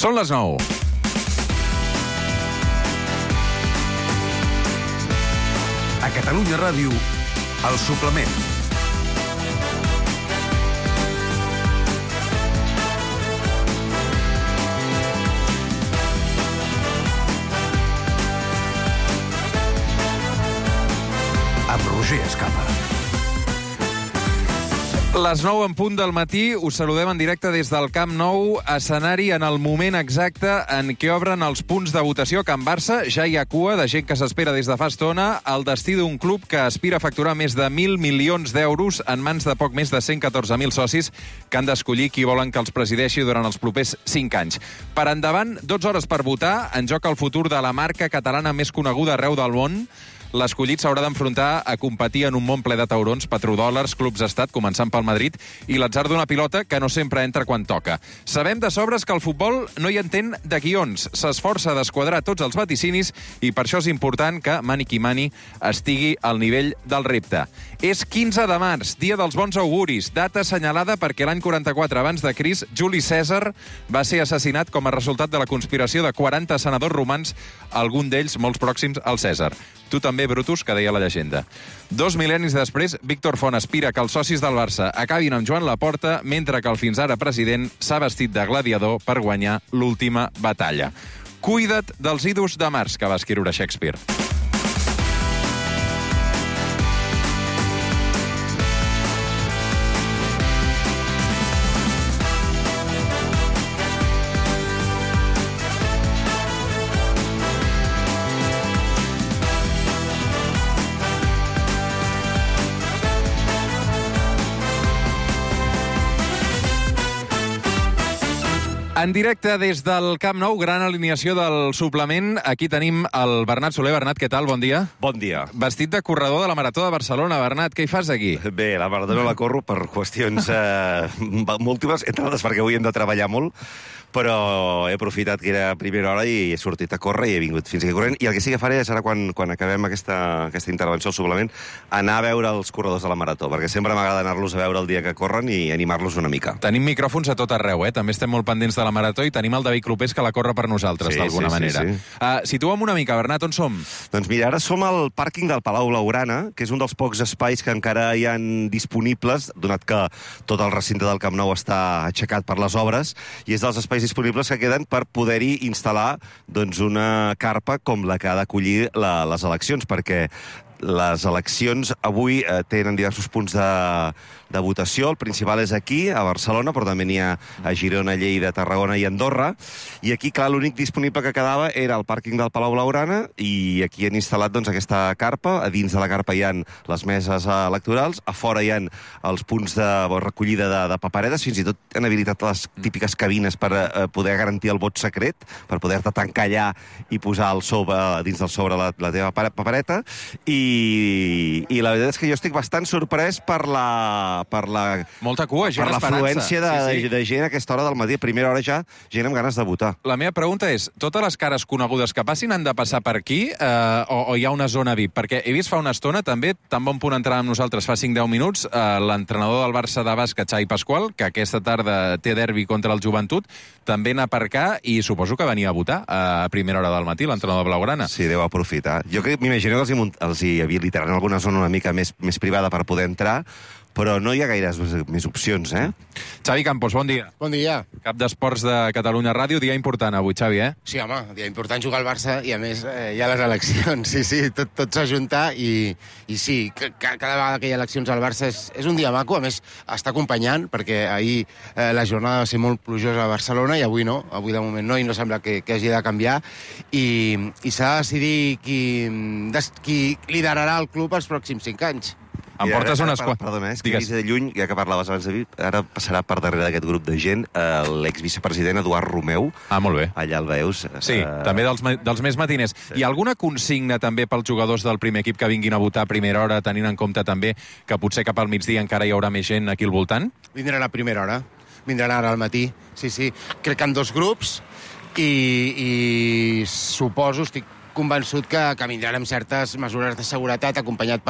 Són les 9. A Catalunya Ràdio, El Suplement. Amb Roger Escapa. Les 9 en punt del matí, us saludem en directe des del Camp Nou, escenari en el moment exacte en què obren els punts de votació a Can Barça. Ja hi ha cua de gent que s'espera des de fa estona el destí d'un club que aspira a facturar més de 1.000 milions d'euros en mans de poc més de 114.000 socis que han d'escollir qui volen que els presideixi durant els propers 5 anys. Per endavant, 12 hores per votar, en joc el futur de la marca catalana més coneguda arreu del món. L'escollit s'haurà d'enfrontar a competir en un món ple de taurons, petrodòlars, clubs d'estat, començant pel Madrid, i l'atzar d'una pilota que no sempre entra quan toca. Sabem de sobres que el futbol no hi entén de guions. S'esforça d'esquadrar tots els vaticinis i per això és important que Mani qui Mani estigui al nivell del repte. És 15 de març, dia dels bons auguris, data assenyalada perquè l'any 44 abans de Crist, Juli Cèsar va ser assassinat com a resultat de la conspiració de 40 senadors romans, algun d'ells molts pròxims al Cèsar. Tu també, Brutus, que deia la llegenda. 2 mil·lennis després, Víctor Font aspira que els socis del Barça acabin amb Joan Laporta, mentre que el fins ara president s'ha vestit de gladiador per guanyar l'última batalla. Cuida't dels idus de març, que va escriure Shakespeare. En directe des del Camp Nou, gran alineació del suplement. Aquí tenim el Bernat Soler. Bernat, què tal? Bon dia. Bon dia. Vestit de corredor de la Marató de Barcelona. Bernat, què hi fas aquí? Bé, la Marató no la corro per qüestions múltiples, entre altres perquè avui hem de treballar molt, però he aprofitat que era a primera hora i he sortit a córrer i he vingut fins aquí corrent. I el que sí que faré serà, quan acabem aquesta intervenció al suplement, anar a veure els corredors de la Marató, perquè sempre m'agrada anar-los a veure el dia que corren i animar-los una mica. Tenim micròfons a tot arreu, eh? També estem molt pendents de la Marató i tenim el David Clopés que la corre per nosaltres, d'alguna manera. Situa'm una mica, Bernat, on som? Doncs mira, ara som al pàrquing del Palau Blaugrana, que és un dels pocs espais que encara hi han disponibles, donat que tot el recinte del Camp Nou està aixecat per les obres, i és dels espais disponibles que queden per poder-hi instal·lar doncs, una carpa com la que ha d'acollir les eleccions, perquè les eleccions avui tenen diversos punts de votació. El principal és aquí, a Barcelona, però també n'hi ha a Girona, Lleida, Tarragona i Andorra. I aquí, clar, l'únic disponible que quedava era el pàrquing del Palau Blaugrana i aquí han instal·lat doncs, aquesta carpa. A dins de la carpa hi ha les meses electorals, a fora hi ha els punts de recollida de paperetes, fins i tot han habilitat les típiques cabines per poder garantir el vot secret, per poder-te tancar allà i posar dins del sobre la teva papereta. I la veritat és que jo estic bastant sorprès per la molta cua, gent esperant-se. l'afluència de gent a aquesta hora del matí. A primera hora ja, gent amb ganes de votar. La meva pregunta és, totes les cares conegudes que passin han de passar per aquí o hi ha una zona VIP? Perquè he vist fa una estona, també, tan bon punt entrar amb nosaltres fa 5-10 minuts, l'entrenador del Barça de bàsquet, Xavi Pasqual, que aquesta tarda té derbi contra el Joventut, també anar per cá i suposo que venia a votar a primera hora del matí, l'entrenador blaugrana. Sí, deu aprofitar. Jo m'imagino que els hi habilitaran alguna zona una mica més privada per poder entrar, però no hi ha gaires més opcions, eh? Xavi Campos, bon dia. Bon dia. Cap d'Esports de Catalunya Ràdio, dia important avui, Xavi, eh? Sí, home, dia important jugar al Barça i, a més, hi ha les eleccions. Sí, tot s'ajunta i sí, cada vegada que hi ha eleccions al Barça és un dia maco. A més, està acompanyant, perquè ahir la jornada va ser molt plujosa a Barcelona i avui no, avui de moment no, i no sembla que hagi de canviar. I s'ha de decidir qui liderarà el club els pròxims 5 anys. Em portes unes quantes... Perdona, és que he vist de lluny, ja que parlaves abans de mi, ara passarà per darrere d'aquest grup de gent l'exvicepresident Eduard Romeu. Ah, molt bé. Allà el veus. Sí, també dels més matiners. Sí. Hi ha alguna consigna també pels jugadors del primer equip que vinguin a votar a primera hora, tenint en compte també que potser cap al migdia encara hi haurà més gent aquí al voltant? Vindran a primera hora. Vindran ara al matí. Sí. Crec que en 2 grups i suposo, estic convençut que vindran amb certes mesures de seguretat acompanyats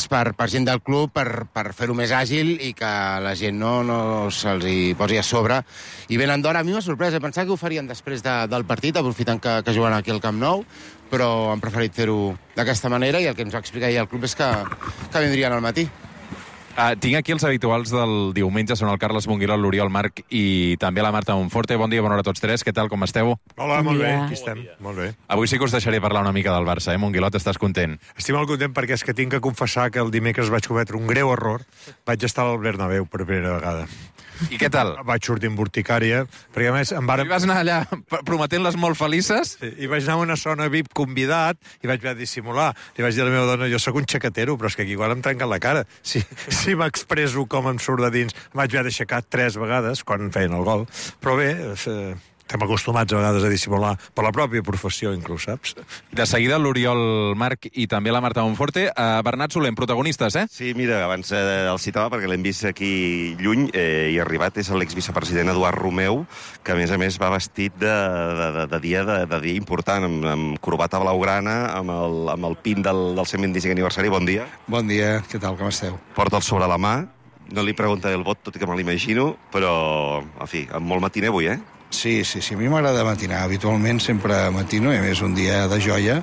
per gent del club per fer-ho més àgil i que la gent no se'ls hi posi a sobre. I venen d'hora. A mi m'ha sorprès. Pensava que ho farien després del partit, aprofitant que juguen aquí al Camp Nou, però han preferit fer-ho d'aquesta manera i el que ens va explicar ahir el club és que vindrien al matí. Tinc aquí els habituals del diumenge, són el Carles Monguiló, l'Oriol Marc i també la Marta Monforte. Bon dia, bona hora a tots tres. Què tal, com esteu? Hola, molt bé, aquí estem. Molt bé. Avui sí que us deixaré parlar una mica del Barça, Monguilot, estàs content? Estic molt content perquè és que tinc que confessar que el dimecres vaig cometre un greu error. Vaig estar al Bernabéu per primera vegada. I què tal? Vaig sortir amb urticària, perquè a més em varen... I vas anar allà prometent-les molt felices? Sí, i vaig anar a una zona VIP convidat i vaig haver de dissimular. Li vaig dir a la meva dona, jo sóc un xaquetero, però és que aquí igual em trenquen la cara. Si m'expresso com em surt de dins, vaig haver d'aixecar 3 vegades quan feien el gol. Però bé, estem acostumats a vegades a dissimular per la pròpia professió, inclús, saps? De seguida l'Oriol Marc i també la Marta Monforte. Bernat Solem, protagonistes, Sí, mira, abans el citava perquè l'hem vist aquí lluny i arribat és l'exvicepresident Eduard Romeu, que a més va vestit de dia important, amb corbata blaugrana, amb el pin del 125 aniversari. Bon dia. Bon dia, què tal, com esteu? Porta'l sobre la mà, no li preguntaré el vot, tot i que me l'imagino, però, en fi, amb molt matiner avui, Sí, a mi m'agrada matinar. Habitualment sempre matino, i a més un dia de joia,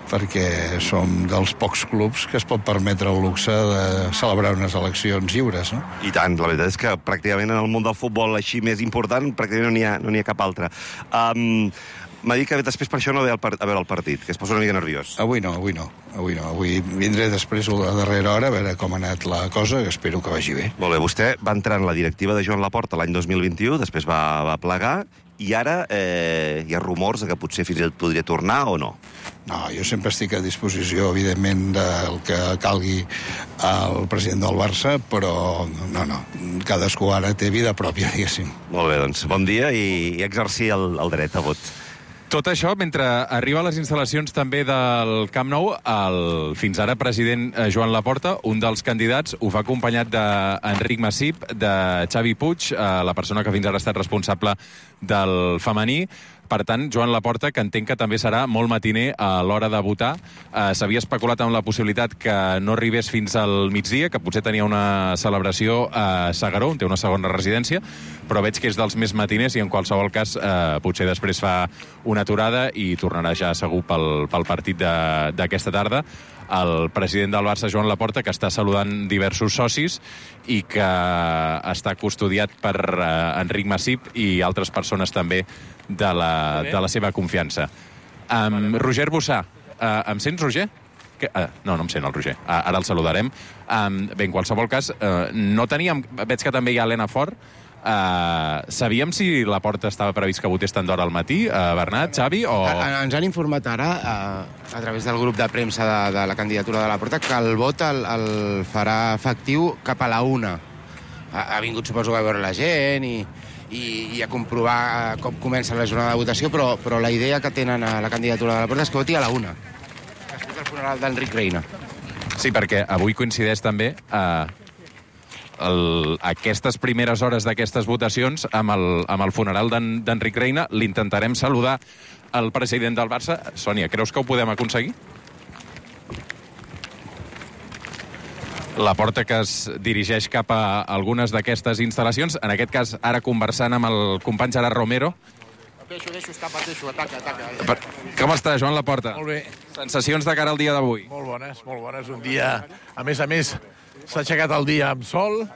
perquè som dels pocs clubs que es pot permetre el luxe de celebrar unes eleccions lliures, no? I tant, la veritat és que pràcticament en el món del futbol així més important, pràcticament no n'hi ha cap altre. M'ha dit que després per això no ve a veure el partit, que es posa una mica nerviós. Avui no. Avui vindré després a darrera hora a veure com ha anat la cosa, que espero que vagi bé. Molt bé, vostè va entrar en la directiva de Joan Laporta l'any 2021, després va plegar, i ara hi ha rumors que potser fins i tot podria tornar o no? No, jo sempre estic a disposició, evidentment, del que calgui el president del Barça, però no, cadascú ara té vida pròpia, diguéssim. Molt bé, doncs, bon dia i exercir el dret a vot. Tot això, mentre arriba a les instal·lacions també del Camp Nou, el fins ara president Joan Laporta, un dels candidats, ho fa acompanyat d'Enric Massip, de Xavi Puig, la persona que fins ara ha estat responsable del femení. Per tant, Joan Laporta, que entenc que també serà molt matiner a l'hora de votar. S'havia especulat amb la possibilitat que no arribés fins al migdia, que potser tenia una celebració a S'Agaró, on té una segona residència, però veig que és dels més matiners i en qualsevol cas potser després fa una aturada i tornarà ja segur pel partit d'aquesta tarda. El president del Barça, Joan Laporta, que està saludant diversos socis i que està custodiat per Enric Massip i altres persones també de la seva confiança. Roger Bossà. Em sents, Roger? No em sent el Roger. Ara el saludarem. Bé, en qualsevol cas, no teníem... Veig que també hi ha Helena Fort. Sabíem si Laporta estava previst que votés tant d'hora al matí, Bernat, Xavi, o... Ens han informat ara, a través del grup de premsa de la candidatura de Laporta, que el vot el farà efectiu cap a la 1. Ha vingut, suposo, a veure la gent i a comprovar com comença la jornada de votació, però la idea que tenen a la candidatura de Laporta és que voti a la 1, després del funeral d'Enric Reina. Sí, perquè avui coincideix també aquestes primeres hores d'aquestes votacions amb el funeral d'Enric Reina. L'intentarem saludar el president del Barça. Sònia, creus que ho podem aconseguir? Laporta, que es dirigeix cap a algunes d'aquestes instal·lacions, en aquest cas ara conversant amb el company Gerard Romero. Deixo, ataca. Com està, Joan Laporta? Molt bé. Sensacions de cara al dia d'avui? Molt bones. Un dia, a més, s'ha aixecat el dia amb sol.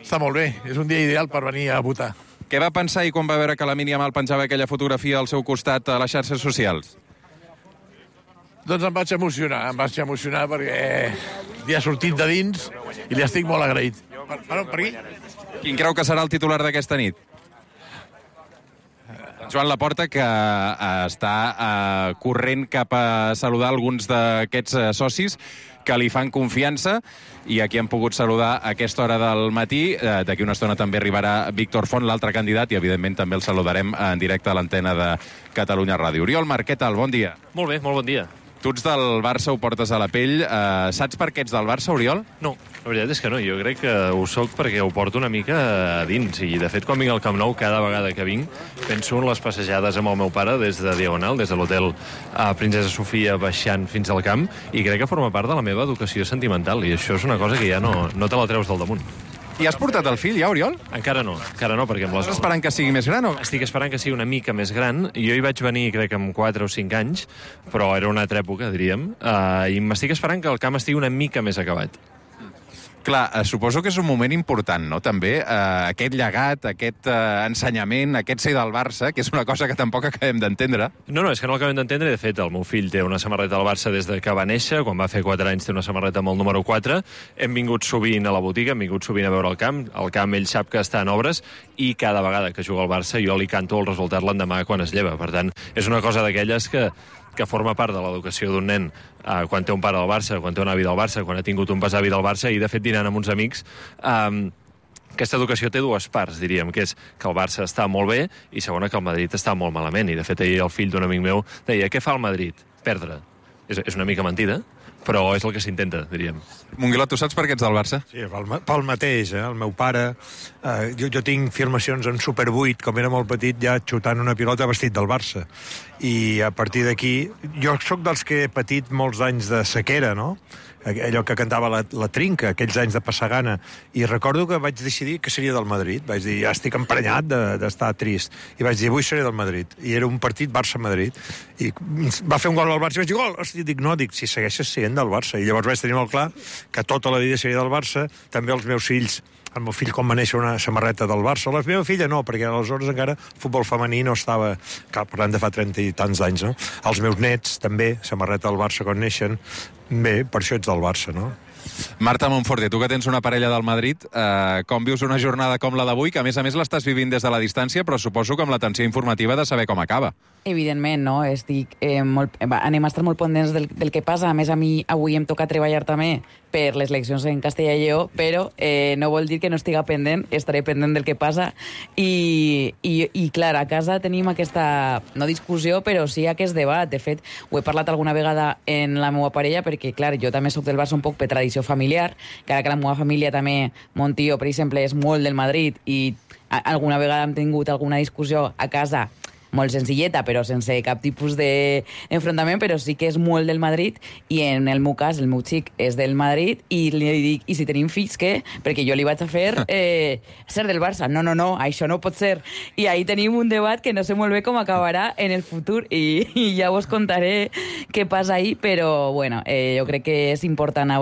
Està molt bé. És un dia ideal per venir a votar. Què va pensar quan va veure que la Mínia Mal penjava aquella fotografia al seu costat a les xarxes socials? Doncs em vaig emocionar perquè li ha sortit de dins i li estic molt agraït. Per aquí? Quin creu que serà el titular d'aquesta nit? Joan Laporta, que està corrent cap a saludar alguns d'aquests socis que li fan confiança i a qui han pogut saludar a aquesta hora del matí. D'aquí una estona també arribarà Víctor Font, l'altre candidat, i evidentment també el saludarem en directe a l'antena de Catalunya Ràdio. Oriol Marc, què tal? Bon dia. Molt bé, molt bon dia. Tu ets del Barça, ho portes a la pell. Saps per què ets del Barça, Oriol? No, la veritat és que no. Jo crec que ho soc perquè ho porto una mica a dins. I, de fet, quan vinc al Camp Nou, cada vegada que vinc, penso en les passejades amb el meu pare des de Diagonal, des de l'hotel Princesa Sofia, baixant fins al camp, i crec que forma part de la meva educació sentimental. I això és una cosa que ja no te la treus del damunt. I has portat el fill ja, Oriol? Encara no, perquè amb les... Estàs esperant que sigui més gran o...? Estic esperant que sigui una mica més gran. Jo hi vaig venir, crec, amb 4 o 5 anys, però era una altra època, diríem, i m'estic esperant que el camp estigui una mica més acabat. Clar, suposo que és un moment important, no?, també, aquest llegat, aquest ensenyament, aquest ser del Barça, que és una cosa que tampoc acabem d'entendre. No, és que no l'acabem d'entendre. De fet, el meu fill té una samarreta del Barça des de que va néixer. Quan va fer 4 anys té una samarreta amb el número 4. Hem vingut sovint a la botiga, hem vingut sovint a veure el camp. El camp ell sap que està en obres i cada vegada que juga al Barça jo li canto el resultat l'endemà quan es lleva. Per tant, és una cosa d'aquelles que forma part de l'educació d'un nen quan té un pare del Barça, quan té un avi del Barça, quan ha tingut un besavi del Barça, i de fet dinant amb uns amics. Aquesta educació té 2 parts, diríem, que és que el Barça està molt bé i segona que el Madrid està molt malament. I de fet ahir el fill d'un amic meu deia: què fa el Madrid? Perdre. És una mica mentida, però és el que s'intenta, diríem. Monguiló, tu saps per què ets del Barça? Sí, pel mateix, el meu pare... Jo tinc filmacions en Super 8, com era molt petit, ja xutant una pilota vestit del Barça. I a partir d'aquí... Jo sóc dels que he patit molts anys de sequera, no?, allò que cantava la Trinca, aquells anys de passar gana, i recordo que vaig decidir que seria del Madrid. Vaig dir, ja estic emprenyat d'estar trist, i vaig dir, avui seré del Madrid, i era un partit Barça-Madrid, i va fer un gol al Barça, i vaig dir, gol! Hosti, dic, si segueixes sent del Barça, i llavors vaig tenir molt clar que tota la vida seria del Barça. També els meus fills, el meu fill quan va néixer una samarreta del Barça, la meva filla no, perquè aleshores encara futbol femení no estava, parlant de fa 30 i tants anys, no? Els meus nets també, samarreta del Barça quan neixen. Bé, per això ets del Barça, no? Marta Monforte, tu que tens una parella del Madrid, com vius una jornada com la d'avui, que a més l'estàs vivint des de la distància, però suposo que amb l'atenció informativa de saber com acaba? Evidentment, no? Anem a estar molt pendents del que passa. A més, a mi avui em toca treballar també per les eleccions en Castella i Lleó, però no vol dir que no estiga pendent, estaré pendent del que passa. I clar, a casa tenim aquesta, no discussió, però sí aquest debat. De fet, ho he parlat alguna vegada en la meva parella, perquè, clar, jo també soc del Barça un poc per tradició familiar, encara que la meva família també, mon tio, per exemple, és molt del Madrid, i alguna vegada hem tingut alguna discussió a casa molt senzilleta, però sense cap tipus d'enfrontament, però sí que és molt del Madrid, i en el meu cas, el meu xic és del Madrid, i li dic, i si tenim fills, què? Perquè jo li vaig a fer ser del Barça. No, això no pot ser. I ahí tenim un debat que no sé molt bé com acabarà en el futur, i ja us contaré què passa ahí, però bueno, jo crec que és important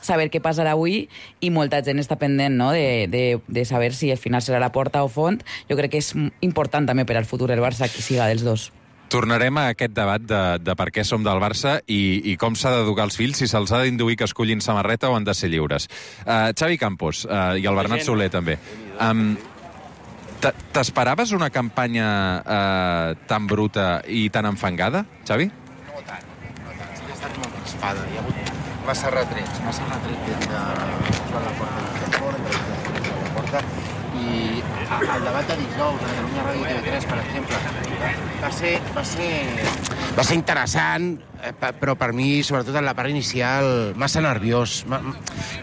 saber què passarà avui, i molta gent està pendent, no?, de saber si al final serà la Porta o Font. Jo crec que és important també per al futur del Barça que siga dels dos. Tornarem a aquest debat de per què som del Barça i com s'ha d'educar els fills, si se'ls ha d'induir que escollin samarreta o han de ser lliures. Xavi Campos i el Bernat Soler també. T'esperaves una campanya tan bruta i tan enfangada, Xavi? No tant. Sí que ha estat molt raspada. Hi ha hagut massa retrets des de Joan Laporta, de la Porta, i el debat de dijous de Catalunya Ràdio i TV3, per exemple, va ser interessant, però per mi, sobretot en la part inicial, massa nerviós,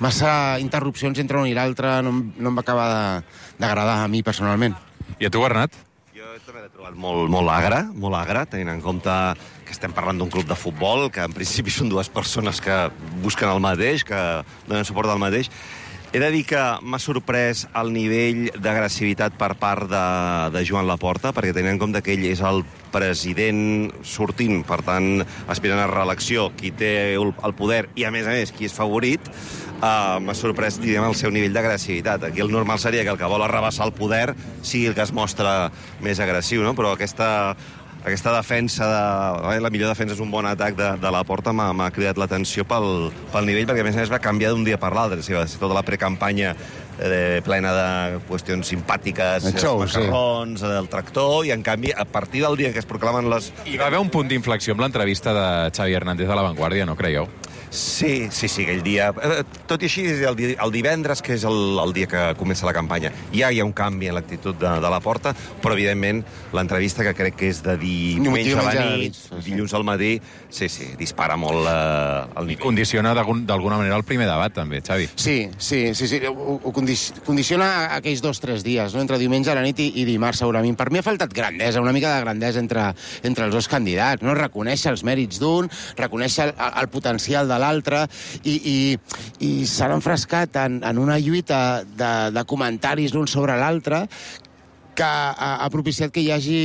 massa interrupcions entre un i l'altre, no em va acabar d'agradar a mi personalment. I a tu, Bernat? Jo també l'he trobat molt agre, tenint en compte que estem parlant d'un club de futbol, que en principi són 2 persones que busquen el mateix, que donen suport al mateix. He de dir que m'ha sorprès el nivell d'agressivitat per part de Joan Laporta, perquè tenint en compte que ell és el president sortint, per tant, aspirant a reelecció, qui té el poder i, a més, qui és favorit, m'ha sorprès, diguem, el seu nivell d'agressivitat. Aquí el normal seria que el que vol arrabassar el poder sigui el que es mostra més agressiu, no? Però aquesta defensa, la millor defensa és un bon atac de la Porta, m'ha cridat l'atenció pel nivell, perquè a més va canviar d'un dia per l'altre. Va ser tota la precampanya plena de qüestions simpàtiques, macarrons, el tractor, i en canvi, a partir del dia que es proclamen les... Hi va haver un punt d'inflexió amb l'entrevista de Xavi Hernández a La Vanguardia, no creieu? Sí, aquell dia. Tot i així, el divendres, que és el dia que comença la campanya, ja hi ha un canvi en l'actitud de la Porta, però, evidentment, l'entrevista, que crec que és de diumenge a la nit, dilluns al matí, sí, dispara molt el nivell. Condiciona d'alguna manera el primer debat, també, Xavi. Sí. Ho condiciona aquells 2 o 3 dies, no? Entre diumenge a la nit i dimarts, segurament. Per mi ha faltat grandesa, una mica de grandesa entre els dos candidats, no? Reconèixer els mèrits d'un, reconèixer el potencial de l'altre, i s'han enfrescat en una lluita de comentaris l'un sobre l'altre que ha propiciat que hi hagi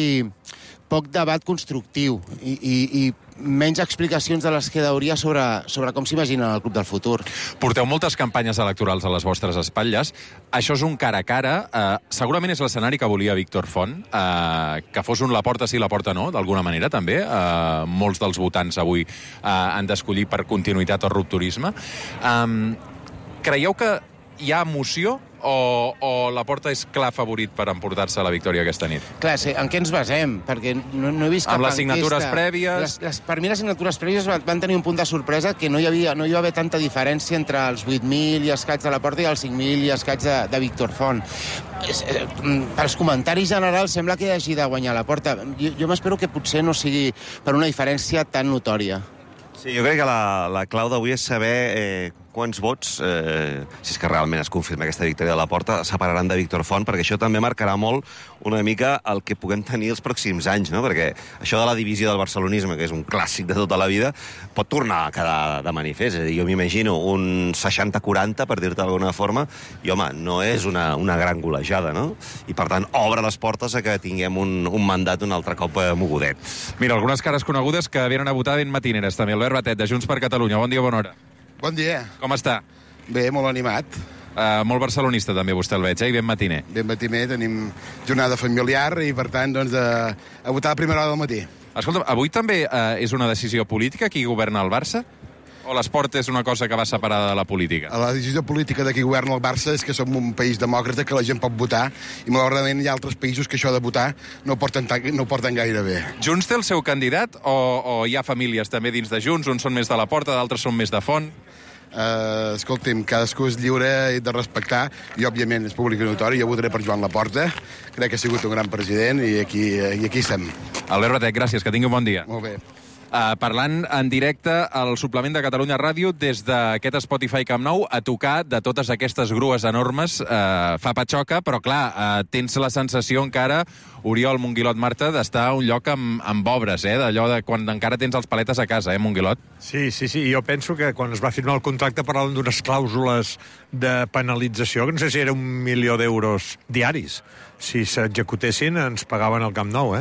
poc debat constructiu i menys explicacions de les que hauria sobre com s'imagina el club del futur. Porteu moltes campanyes electorals a les vostres espatlles. Això és un cara a cara. Segurament és l'escenari que volia Víctor Font, que fos un Laporta sí, Laporta no, d'alguna manera, també. Molts dels votants avui han d'escollir per continuïtat o rupturisme. Creieu que hi ha emoció o Laporta és clar favorit per emportar-se la victòria aquesta nit? Clar, sí, en què ens basem? Perquè no he vist cap amb les signatures prèvies... Per mi les signatures prèvies van tenir un punt de sorpresa que no hi va haver tanta diferència entre els 8.000 i escaig de Laporta i els 5.000 i escaig de Víctor Font. Pels comentaris generals sembla que hagi de guanyar Laporta. Jo m'espero que potser no sigui per una diferència tan notòria. Sí, jo crec que la clau d'avui és saber quants vots, si és que realment es confirma aquesta victòria de Laporta, separaran de Víctor Font, perquè això també marcarà molt una mica el que puguem tenir els pròxims anys, no? Perquè això de la divisió del barcelonisme, que és un clàssic de tota la vida, pot tornar a quedar de manifest. És a dir, jo m'imagino un 60-40, per dir-te d'alguna forma, i, home, no és una gran golejada, no? I, per tant, obre les portes a que tinguem un mandat un altre cop mogudet. Mira, algunes cares conegudes que venen a votar ben matineres, també. Albert Batet, de Junts per Catalunya. Bon dia, bona hora. Bon dia. Com està? Bé, molt animat. Molt barcelonista, també, vostè el veig, i ben matiner. Ben matiner, tenim jornada familiar i, per tant, doncs, a votar a primera hora del matí. Escolta, avui també és una decisió política qui governa el Barça? O l'esport és una cosa que va separada de la política? La decisió política de qui governa el Barça és que som un país demòcrata, que la gent pot votar, i malauradament hi ha altres països que això de votar no porten gaire bé. Junts té el seu candidat o hi ha famílies també dins de Junts? Uns són més de Laporta, d'altres són més de Font? Escolti'm, cadascú és lliure i de respectar, i òbviament és públic i notori. Jo votaré per Joan Laporta, crec que ha sigut un gran president, i aquí estem. Albert Batet, gràcies, que tingui un bon dia. Molt bé. Parlant en directe al suplement de Catalunya Ràdio des d'aquest Spotify Camp Nou a tocar de totes aquestes grues enormes. Fa patxoca, però clar, tens la sensació encara, Oriol, Monguilot, Marta, d'estar a un lloc amb obres, d'allò de quan encara tens els paletes a casa, Monguilot? Sí, jo penso que quan es va firmar el contracte parlaven d'unes clàusules de penalització, que no sé si era 1 milió d'euros diaris. Si s'executessin, ens pagaven el Camp Nou,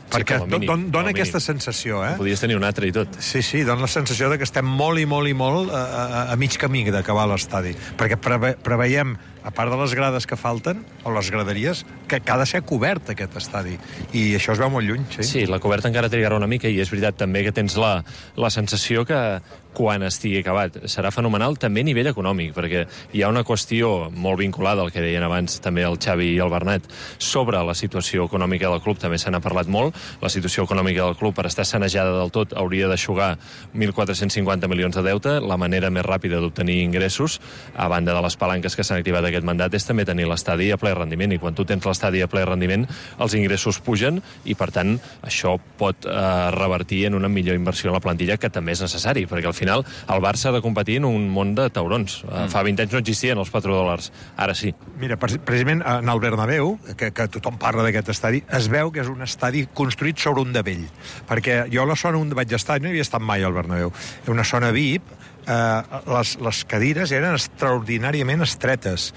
Perquè dona aquesta sensació, Podies tenir un altre i tot. Sí, dona la sensació de que estem molt i molt a mig camí d'acabar l'estadi. Perquè preveiem, a part de les grades que falten, o les graderies, que ha de ser cobert aquest estadi. I això es veu molt lluny, sí. Sí, la coberta encara trigarà una mica, i és veritat també que tens la sensació que quan estigui acabat serà fenomenal també a nivell econòmic, perquè hi ha una qüestió molt vinculada al que deien abans també el Xavi i el Bernat sobre la situació econòmica del club, també se n'ha parlat molt. La situació econòmica del club, per estar sanejada del tot, hauria d'aixugar 1.450 milions de deute. La manera més ràpida d'obtenir ingressos, a banda de les palanques que s'han activat aquest mandat, és també tenir l'estadi a ple rendiment, i quan tu tens l'estadi a ple rendiment, els ingressos pugen, i per tant això pot revertir en una millor inversió en la plantilla, que també és necessari, perquè al final el Barça ha de competir en un món de taurons. Fa 20 anys no existien els $4, ara sí. Mira, precisament en el Bernabéu, que tothom parla d'aquest estadi, es veu que és un estadi construït sobre un davell, perquè jo a la zona on vaig estar, no havia estat mai al Bernabéu, una zona VIP, les cadires eren extraordinàriament estretes.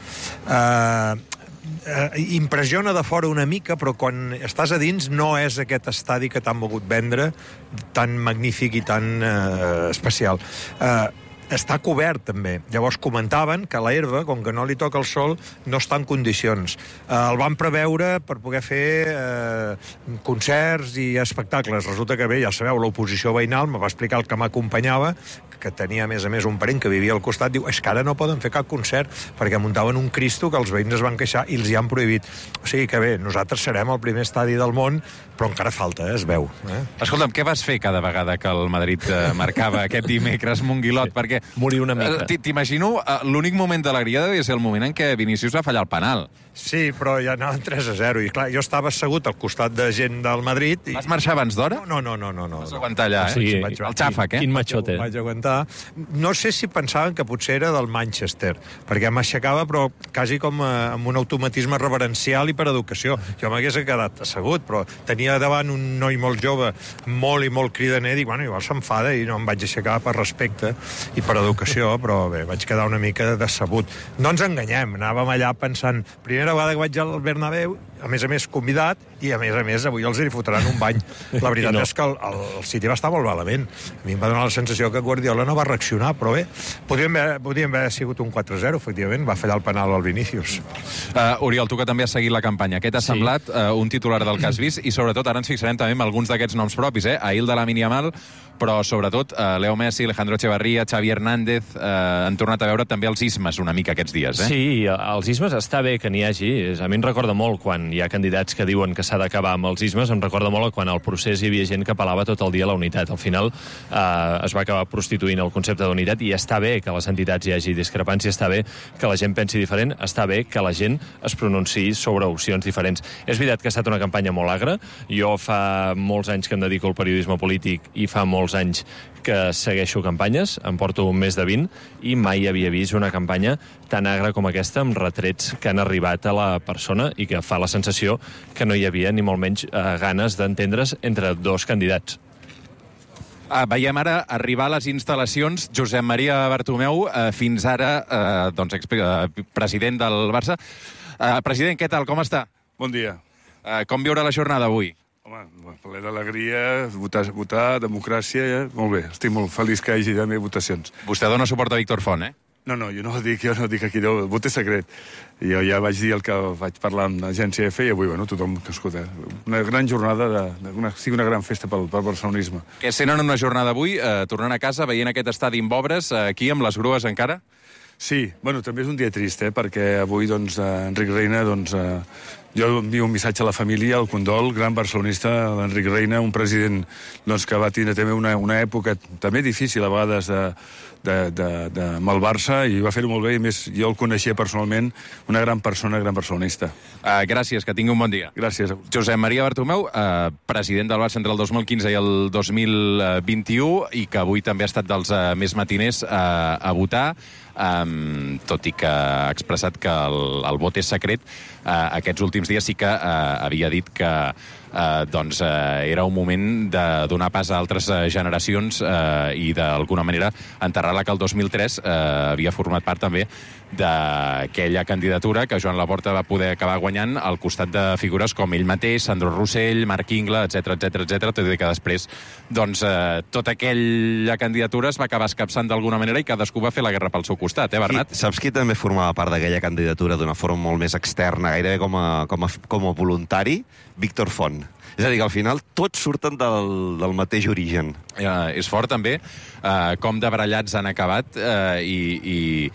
Impressiona de fora una mica, però quan estàs a dins no és aquest estadi que t'han volgut vendre, tan magnífic i tan especial. Està cobert, també. Llavors comentaven que la herba, com que no li toca el sol, no està en condicions. El van preveure per poder fer concerts i espectacles. Resulta que bé, ja sabeu, l'oposició veïnal me va explicar el que m'acompanyava, que tenia, a més, un parent que vivia al costat, diu, és que ara no poden fer cap concert, perquè muntaven un Cristo que els veïns es van queixar i els hi han prohibit. O sigui que bé, nosaltres serem el primer estadi del món, però encara falta, es veu. Escolta'm, què vas fer cada vegada que el Madrid marcava aquest dimecres, Monguilot? Perquè perquè... Morir una mica. T'imagino, l'únic moment d'alegria devia ser el moment en què Vinícius va fallar el penal. Sí, però ja anaven 3-0. I clar, jo estava assegut al costat de gent del Madrid. Vas marxar abans d'hora? No. Vas aguantar allà, O sigui, el xàfec, Quin matxote. Vaig aguantar. No sé si pensaven que potser era del Manchester, perquè m'aixecava, però quasi com amb un automatisme reverencial i per educació. Jo m'hagués quedat assegut, però tenia davant un noi molt jove, molt i molt cridaner, i dic, bueno, igual s'enfada i no em vaig aixecar per respecte i per educació, però bé, vaig quedar una mica decebut. No ens enganyem, anàvem allà pensant, primera vegada que vaig al Bernabéu, a més convidat, i a més avui els hi fotran un bany. La veritat és que el City va estar molt malament. A mi em va donar la sensació que Guardiola no va reaccionar, però bé, podríem haver sigut un 4-0, efectivament, va fallar el penal al Vinícius. Oriol, tu que també has seguit la campanya, què t'ha semblat un titular del que has vist? I sobretot, ara ens fixarem també en alguns d'aquests noms propis, Ahil de Lamine Yamal, però sobretot Leo Messi, Alejandro Echeverría, Xavi Hernández, han tornat a veure també els ismes una mica aquests dies, Sí, els ismes està bé que n'hi hagi. A mi em recorda molt quan hi ha candidats que diuen que s'ha d'acabar amb els ismes, em recorda molt quan al procés hi havia gent que apel·lava tot el dia a la unitat. Al final es va acabar prostituint el concepte d'unitat i està bé que a les entitats hi hagi discrepància, està bé que la gent pensi diferent, està bé que la gent es pronunciï sobre opcions diferents. És veritat que ha estat una campanya molt agra. Jo fa molts anys que em dedico al periodisme polític i fa molts anys que segueixo campanyes, em porto més de 20, i mai havia vist una campanya tan agra com aquesta, amb retrets que han arribat a la persona i que fa la sensació que no hi havia ni molt menys ganes d'entendre's entre dos candidats. Veiem ara arribar a les instal·lacions Josep Maria Bartomeu, fins ara president del Barça. President, què tal? Com està? Bon dia. Com viure la jornada avui? Home, ple d'alegria, votar, democràcia, molt bé. Estic molt feliç que hi hagi també votacions. Vostè dona suport a Víctor Font, No, jo no ho dic aquí, el vot és secret. Jo ja vaig dir el que vaig parlar amb l'agència EFE i avui, tothom que escolta. Una gran jornada, sigui una gran festa pel barcelonisme. Què senten una jornada avui, tornant a casa, veient aquest estadi amb obres, aquí amb les grues encara? Sí, també és un dia trist, perquè avui, Enric Reina, jo envio un missatge a la família, al condol, gran barcelonista, l'Enric Reina, un president que va tindre també una època també difícil a vegades amb el Barça, i va fer-ho molt bé, i més jo el coneixia personalment, una gran persona, gran barcelonista. Gràcies, que tingui un bon dia. Gràcies. Josep Maria Bartomeu, president del Barça entre el 2015 i el 2021, i que avui també ha estat dels més matiners a votar, tot i que ha expressat que el vot és secret. Aquests últims dies sí que havia dit que era un moment de donar pas a altres generacions i d'alguna manera enterrar la que el 2003 havia format part també d'aquella candidatura que Joan Laporta va poder acabar guanyant al costat de figures com ell mateix, Sandro Rossell, Marc Ingla, etc, tot i que després tota aquella candidatura es va acabar escapçant d'alguna manera i cadascú va fer la guerra pel seu costat, Bernat? Saps qui també formava part d'aquella candidatura d'una forma molt més externa, gairebé com a voluntari? Víctor Font. És a dir, que al final tots surten del mateix origen. És fort també com de barallats han acabat i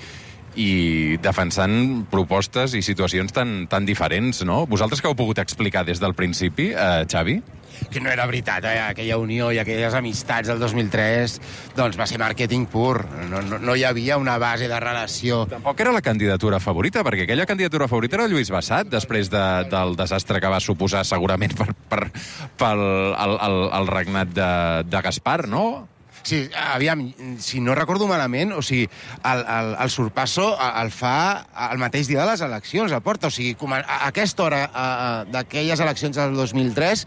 defensant propostes i situacions tan diferents, no? Vosaltres que heu pogut explicar des del principi, Xavi? Que no era veritat, aquella unió i aquelles amistats del 2003, va ser màrqueting pur. No hi havia una base de relació. Tampoc era la candidatura favorita, perquè aquella candidatura favorita era Lluís Bassat, després del desastre que va suposar segurament pel regnat de Gaspar, no? Sí, aviam, si no recordo malament, o sigui, el sorpasso el fa el mateix dia de les eleccions, el porta. O sigui, a aquesta hora d'aquelles eleccions del 2003,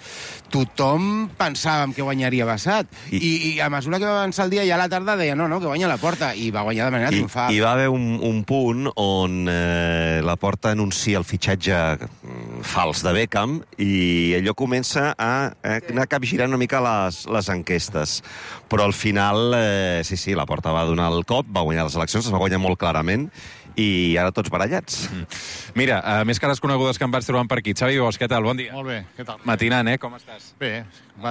tothom pensàvem que guanyaria Bassat. I a mesura que va avançar el dia, ja a la tarda deia no, que guanya la Porta. I va guanyar de manera triomfal. I va haver un punt on la Porta anuncia el fitxatge fals de Beckham i allò comença a anar capgirant una mica les enquestes. Però al final, sí, la Porta va donar el cop, va guanyar les eleccions, es va guanyar molt clarament, i ara tots barallats. Mira, més cares conegudes que em vaig trobant per aquí. Xavi Bosch, què tal? Bon dia. Molt bé, què tal? Matinant, Com estàs? Bé,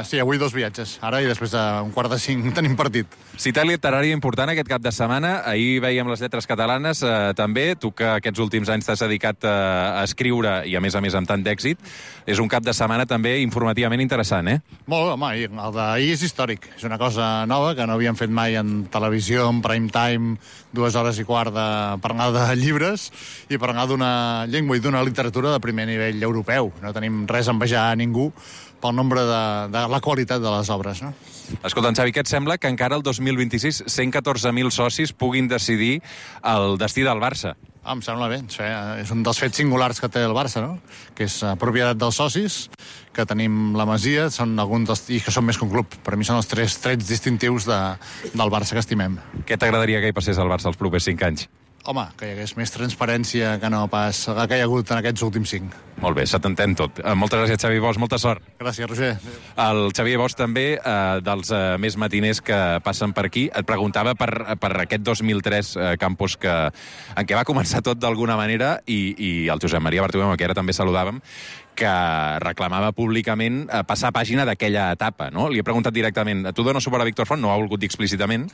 sí, avui 2 viatges. Ara i després d'un 4:45 tenim partit. Cita literària important aquest cap de setmana. Ahir veiem les lletres catalanes, també. Tu que aquests últims anys t'has dedicat a escriure i, a més amb tant d'èxit, és un cap de setmana també informativament interessant, Molt, home, el d'ahir és històric. És una cosa nova que no havíem fet mai en televisió, en prime time, 2 hores i quart de parlar de llibres i parlar d'una llengua i d'una literatura de primer nivell europeu. No tenim res a envejar a ningú pel nombre de la qualitat de les obres, no? Escolta, Xavi, què et sembla que encara el 2026 114.000 socis puguin decidir el destí del Barça? Em sembla bé. És un dels fets singulars que té el Barça, no? Que és propietat dels socis, que tenim la Masia, són alguns i que són més que un club. Per mi són els 3 trets distintius del Barça que estimem. Què t'agradaria que hi passés al Barça els propers 5 anys? Home, que hi hagués més transparència que no pas la que hi ha hagut en aquests últims 5. Molt bé, se t'entén tot. Moltes gràcies, Xavi Bosch, molta sort. Gràcies, Roger. El Xavier Bosch també, dels més matiners que passen per aquí, et preguntava per aquest 2003 campus en què va començar tot d'alguna manera i el Josep Maria Bartomeu, que ara també saludàvem, que reclamava públicament passar pàgina d'aquella etapa, no? Li he preguntat directament, tu dones suport a Víctor Font? No ho ha volgut dir explícitament,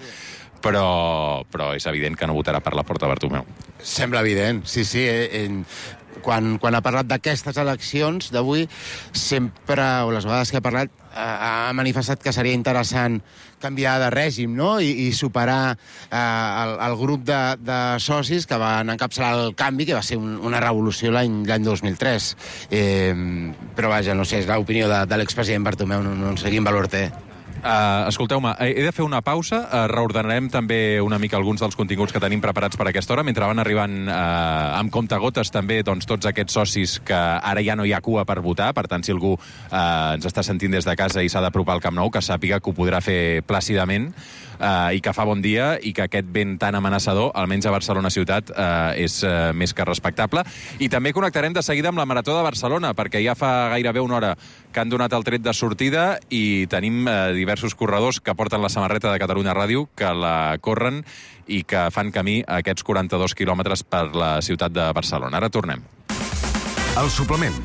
però és evident que no votarà per la Porta Bartomeu. Sembla evident, sí. Quan ha parlat d'aquestes eleccions d'avui, sempre, o les vegades que ha parlat, ha manifestat que seria interessant canviar de règim, no? I superar el grup de socis que van encapçalar el canvi, que va ser una revolució l'any 2003. Però vaja, no sé, és l'opinió de l'expresident Bartomeu, no sé quin valor té. Escolteu-me, he de fer una pausa. Reordenarem també una mica alguns dels continguts que tenim preparats per aquesta hora, mentre van arribant amb comptagotes també tots aquests socis que ara ja no hi ha cua per votar. Per tant, si algú ens està sentint des de casa i s'ha d'apropar al Camp Nou, que sàpiga que ho podrà fer plàcidament i que fa bon dia i que aquest vent tan amenaçador, almenys a Barcelona ciutat, és més que respectable. I també connectarem de seguida amb la Marató de Barcelona, perquè ja fa gairebé una hora que han donat el tret de sortida i tenim diversos corredors que porten la samarreta de Catalunya Ràdio, que la corren i que fan camí a aquests 42 quilòmetres per la ciutat de Barcelona. Ara tornem. El suplement,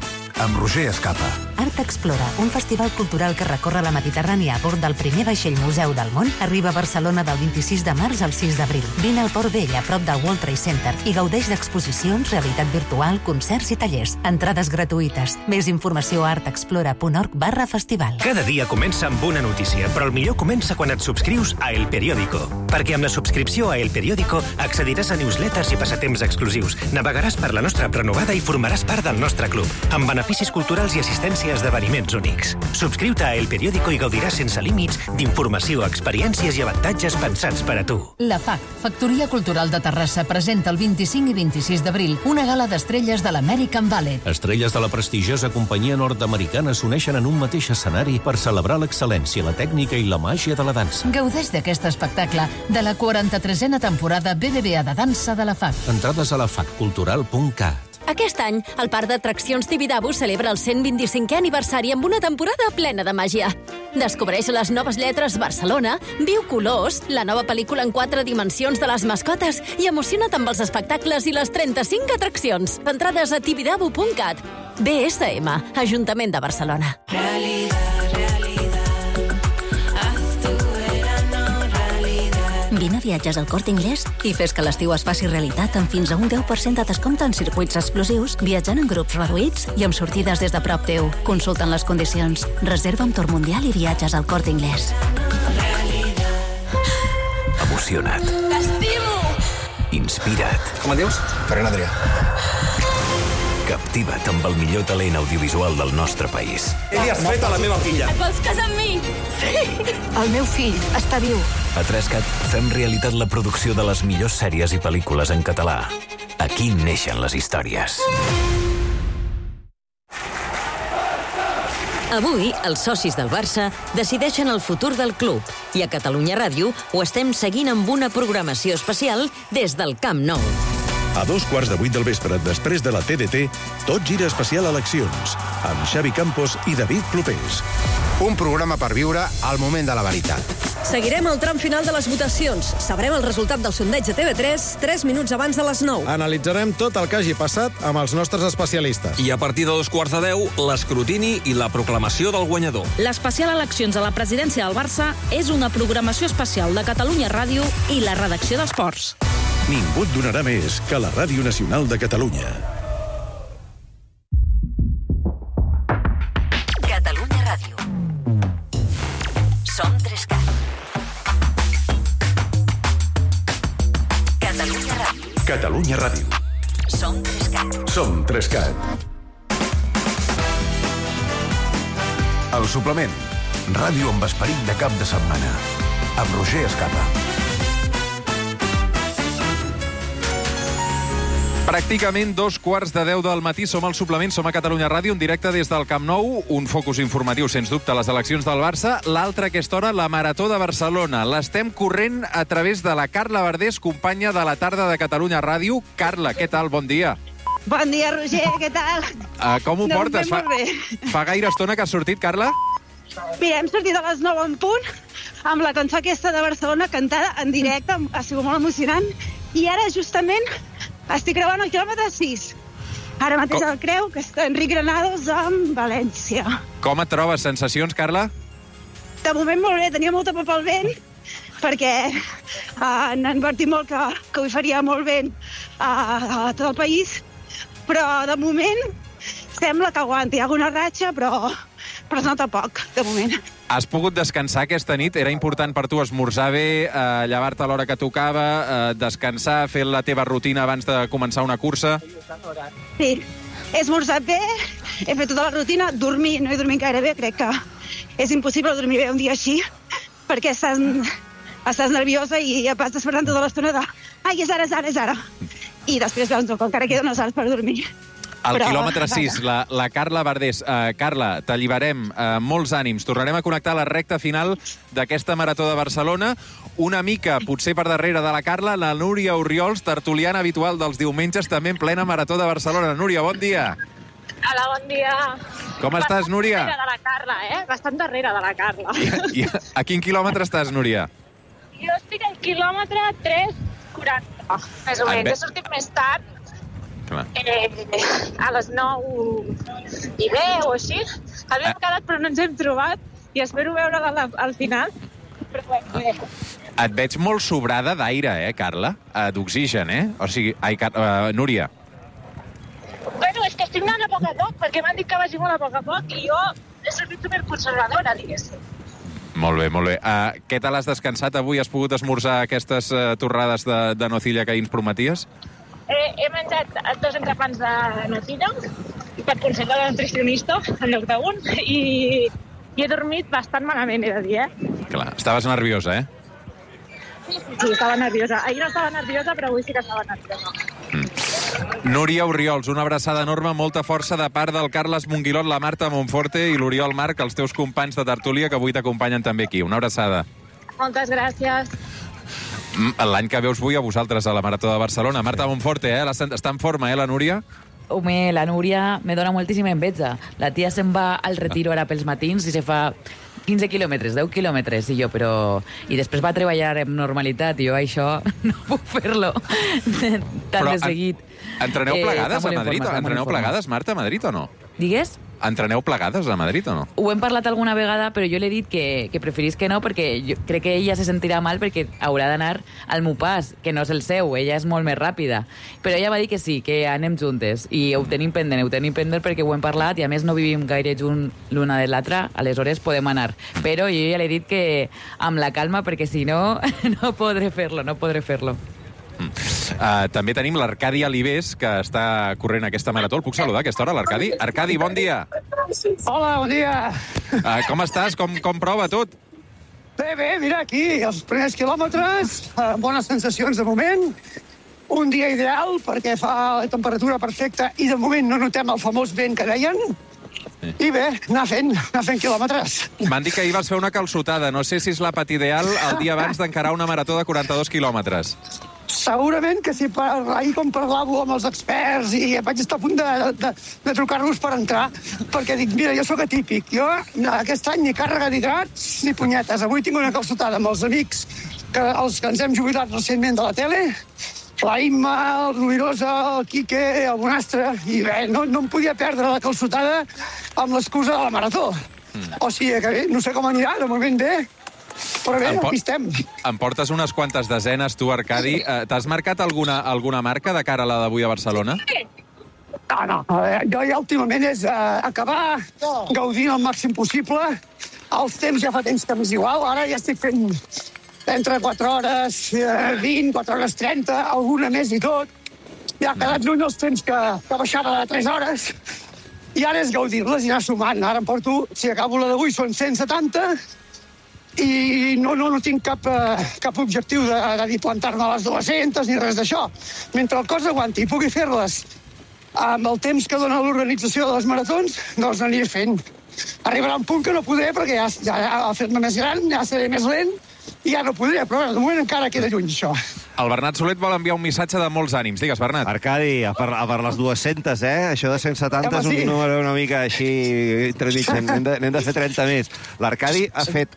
amb Roger Escapa. Art Explora, un festival cultural que recorre la Mediterrània a bord del primer vaixell museu del món, arriba a Barcelona del 26 de març al 6 d'abril. Vine al Port Vell, a prop del World Trade Center, i gaudeix d'exposicions, realitat virtual, concerts i tallers. Entrades gratuïtes. Més informació a artexplora.org/festival. Cada dia comença amb una notícia, però el millor comença quan et subscrius a El Periódico. Perquè amb la subscripció a El Periódico accediràs a newsletters i passatemps exclusius, navegaràs per la nostra prenovada i formaràs part del nostre club, amb beneficis culturals i assistència a esdeveniments únics. Subscriu-te a El Periódico i gaudiràs sense límits d'informació, experiències i avantatges pensats per a tu. La FAC, Factoria Cultural de Terrassa, presenta el 25 i 26 d'abril una gala d'estrelles de l'American Ballet. Estrelles de la prestigiosa companyia nord-americana s'uneixen en un mateix escenari per celebrar l'excel·lència, la tècnica i la màgia de la dansa. Gaudeix d'aquest espectacle de la 43a temporada BBVA de dansa de la FAC. Entrades a lafaccultural.cat. Aquest any, el Parc d'Atraccions Tibidabo celebra el 125è aniversari amb una temporada plena de màgia. Descobreix les noves lletres Barcelona, viu colors, la nova pel·lícula en 4 dimensions de les mascotes i emociona't amb els espectacles i les 35 atraccions. Entrades a tibidabo.cat. BSM, Ajuntament de Barcelona. Vine a Viatges al Corte Inglés i fes que l'estiu es faci realitat amb fins a un 10% de descompte en circuits exclusius, viatjant en grups reduïts i amb sortides des de prop teu. Consulta'n les condicions. Reserva amb Tour Mundial i Viatges al Corte Inglés. Emociona't. T'estimo! Inspira't. Com et dius? Ferran Adrià. Captiva't amb el millor talent audiovisual del nostre país. Li has fet a la meva filla. Et vols casar amb mi? Sí! El meu fill està viu. A 3CAT fem realitat la producció de les millors sèries i pel·lícules en català. Aquí neixen les històries. Avui, els socis del Barça decideixen el futur del club i a Catalunya Ràdio ho estem seguint amb una programació especial des del Camp Nou. A 7:15 del vespre, després de la TDT, tot gira especial eleccions, amb Xavi Campos i David Clopés. Un programa per viure al moment de la veritat. Seguirem el tram final de les votacions. Sabrem el resultat del sondeig de TV3 3 minuts abans de les 9. Analitzarem tot el que hagi passat amb els nostres especialistes. I a partir de 2:15, l'escrutini i la proclamació del guanyador. L'especial Eleccions a la presidència del Barça és una programació especial de Catalunya Ràdio i la redacció d'Esports. Ningú et donarà més que la Ràdio Nacional de Catalunya. Catalunya Ràdio. Som 3CAT. Catalunya Ràdio. Catalunya Ràdio. Som 3CAT. Som 3CAT. El suplement. Ràdio amb esperit de cap de setmana. Amb Roger Escapa. Pràcticament 2:15 del matí, som al suplement, som a Catalunya Ràdio, en directe des del Camp Nou, un focus informatiu, sens dubte, a les eleccions del Barça, l'altra a aquesta hora, la Marató de Barcelona. L'estem corrent a través de la Carla Verdés, companya de la tarda de Catalunya Ràdio. Carla, què tal? Bon dia. Bon dia, Roger, què tal? Com ho portes? Molt bé. Fa gaire estona que has sortit, Carla? Mira, hem sortit a les 9 en punt, amb la cançó aquesta de Barcelona cantada en directe, ha sigut molt emocionant, i ara, justament, estic creuant el quilòmetre 6. Ara mateix el creu, que està Enric Granados amb València. Com et trobes? Sensacions, Carla? De moment molt bé, tenia molta por pel vent, perquè han advertit molt que ho faria molt vent a tot el país, però de moment sembla que aguanti. Hi ha alguna ratxa, però es nota poc, de moment. Has pogut descansar aquesta nit? Era important per tu esmorzar bé, llevar-te a l'hora que tocava, descansar, fer la teva rutina abans de començar una cursa? Sí, he esmorzat bé, he fet tota la rutina, dormir, no he dormit gaire bé, crec que és impossible dormir bé un dia així, perquè estàs nerviosa i vas despertant tota l'estona de ai, és ara. I després veus que encara queden unes hores per dormir. Al quilòmetre 6, la Carla Verdés. Carla, t'alliberem, molts ànims. Tornarem a connectar a la recta final d'aquesta Marató de Barcelona. Una mica, potser per darrere de la Carla, la Núria Orriols, tertuliana habitual dels diumenges, també en plena Marató de Barcelona. Núria, bon dia. Hola, bon dia. Com estàs, Núria? Bastant darrere de la Carla, Bastant darrere de la Carla. I a quin quilòmetre estàs, Núria? Jo estic al quilòmetre 3:40, més o menys. He sortit més tard, a les 9 i 10 o així. Havíem quedat però no ens hem trobat i espero veure'la al final. Però bé. Et veig molt sobrada d'aire, Carla? D'oxigen, O sigui, Núria. Bueno, és que estic anant a poc a poc, perquè m'han dit que vagi molt a poc i jo he sortit superconservadora, diguéssim. Molt bé, molt bé. Què tal has descansat avui? Has pogut esmorzar aquestes torrades de nocilla que ahir ens prometies? He menjat 2 entrepans de nocilla per consell de la nutricionista en lloc d'un i he dormit bastant malament, he de dir, Clar, estaves nerviosa, Sí, estava nerviosa. Ahir no estava nerviosa, però avui sí que estava nerviosa. Núria Orriols, una abraçada enorme, molta força de part del Carles Monguilot, la Marta Monforte i l'Oriol Marc, els teus companys de tertúlia que avui t'acompanyen també aquí. Una abraçada. Moltes gràcies. L'any que ve us vull a vosaltres a la Marató de Barcelona. Marta Monforte, està en forma, la Núria? Home, la Núria me dona moltíssima enveja. La tia se'n va al retiro ara pels matins i se fa 15 quilòmetres, 10 quilòmetres, i jo, però... I després va treballar amb normalitat, i jo això no puc fer-lo tan de seguit. Entreneu plegades a Madrid? Entreneu plegades, Marta, a Madrid o no? Digues? Entreneu plegades a Madrid o no? Ho hem parlat alguna vegada, però jo l'he dit que preferís que no, perquè jo crec que ella se sentirà mal perquè haurà d'anar al meu pas, que no és el seu, ella és molt més ràpida. Però ella va dir que sí, que anem juntes, i ho tenim pendent perquè ho hem parlat, i a més no vivim gaire junt l'una de l'altra, aleshores podem anar. Però jo ja l'he dit que amb la calma, perquè si no, no podré fer-lo. També tenim l'Arcadi Alibés, que està corrent aquesta marató. El puc saludar a aquesta hora, l'Arcadi? Arcadi, bon dia. Hola, bon dia. Com estàs? Com prova tot? Bé, mira, aquí, els primers quilòmetres, bones sensacions de moment. Un dia ideal, perquè fa la temperatura perfecta i de moment no notem el famós vent que deien. I bé, anar fent quilòmetres. M'han dit que ahir vas fer una calçotada. No sé si és l'àpat ideal el dia abans d'encarar una marató de 42 quilòmetres. Segurament que si ahir com parlavo amb els experts i vaig estar a punt de trucar-los per entrar, perquè dic, mira, jo sóc atípic. Jo aquest any ni càrrega d'hidrats ni punyetes. Avui tinc una calçotada amb els amics, els que ens hem jubilat recentment de la tele, la Imma, el Rubirosa, el Quique, el Bonastre, i bé, no em podia perdre la calçotada amb l'excusa de la marató. O sigui que bé, no sé com anirà, de moment bé, però bé, aquí estem. Em portes unes quantes desenes, tu, Arcadi. T'has marcat alguna marca de cara a la d'avui a Barcelona? No. Jo ja últimament és acabar gaudint el màxim possible. Els temps ja fa temps que m'és igual. Ara ja estic fent entre 4 hores 20, 4 hores 30, alguna més i tot. Ja ha quedat lluny els temps que baixava de 3 hores. I ara és gaudir-les i anar sumant. Ara em porto, si acabo la d'avui, són 170... i no tinc cap objectiu de dir plantar-me a les 200 ni res d'això. Mentre el cos aguanti i pugui fer-les amb el temps que dona l'organització de les maratons, doncs n'aniré fent. Arribarà un punt que no podré perquè ja ha fet-me més gran, ja seré més lent i ja no podré, però de moment encara queda lluny això. El Bernat Solet vol enviar un missatge de molts ànims. Digues, Bernat. Arcadi, per les 200, Això de 170 és un número una mica així entremig. N'hem de fer 30 més. L'Arcadi ha fet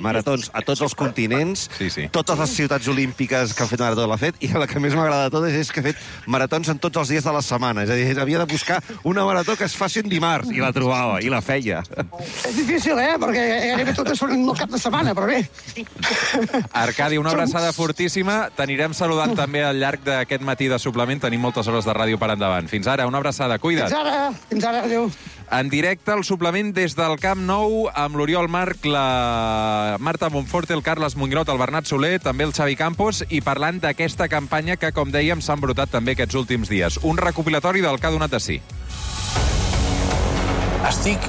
maratons a tots els continents, totes les ciutats olímpiques que han fet marató l'ha fet, i la que més m'agrada de totes és que ha fet maratons en tots els dies de la setmana. És a dir, havia de buscar una marató que es faci en dimarts, i la trobava, i la feia. És difícil, perquè gairebé totes són el cap de setmana, però bé. Arcadi, una abraçada fortíssima. T'anirem saludant també al llarg d'aquest matí de suplement. Tenim moltes hores de ràdio per endavant. Fins ara, una abraçada. Cuida't. Fins ara, adéu. En directe, el suplement des del Camp Nou, amb l'Oriol Marc, la Marta Monforte, el Carles Muñoz, el Bernat Soler, també el Xavi Campos, i parlant d'aquesta campanya que, com dèiem, s'ha embrutat també aquests últims dies. Un recopilatori del que ha donat de si. Estic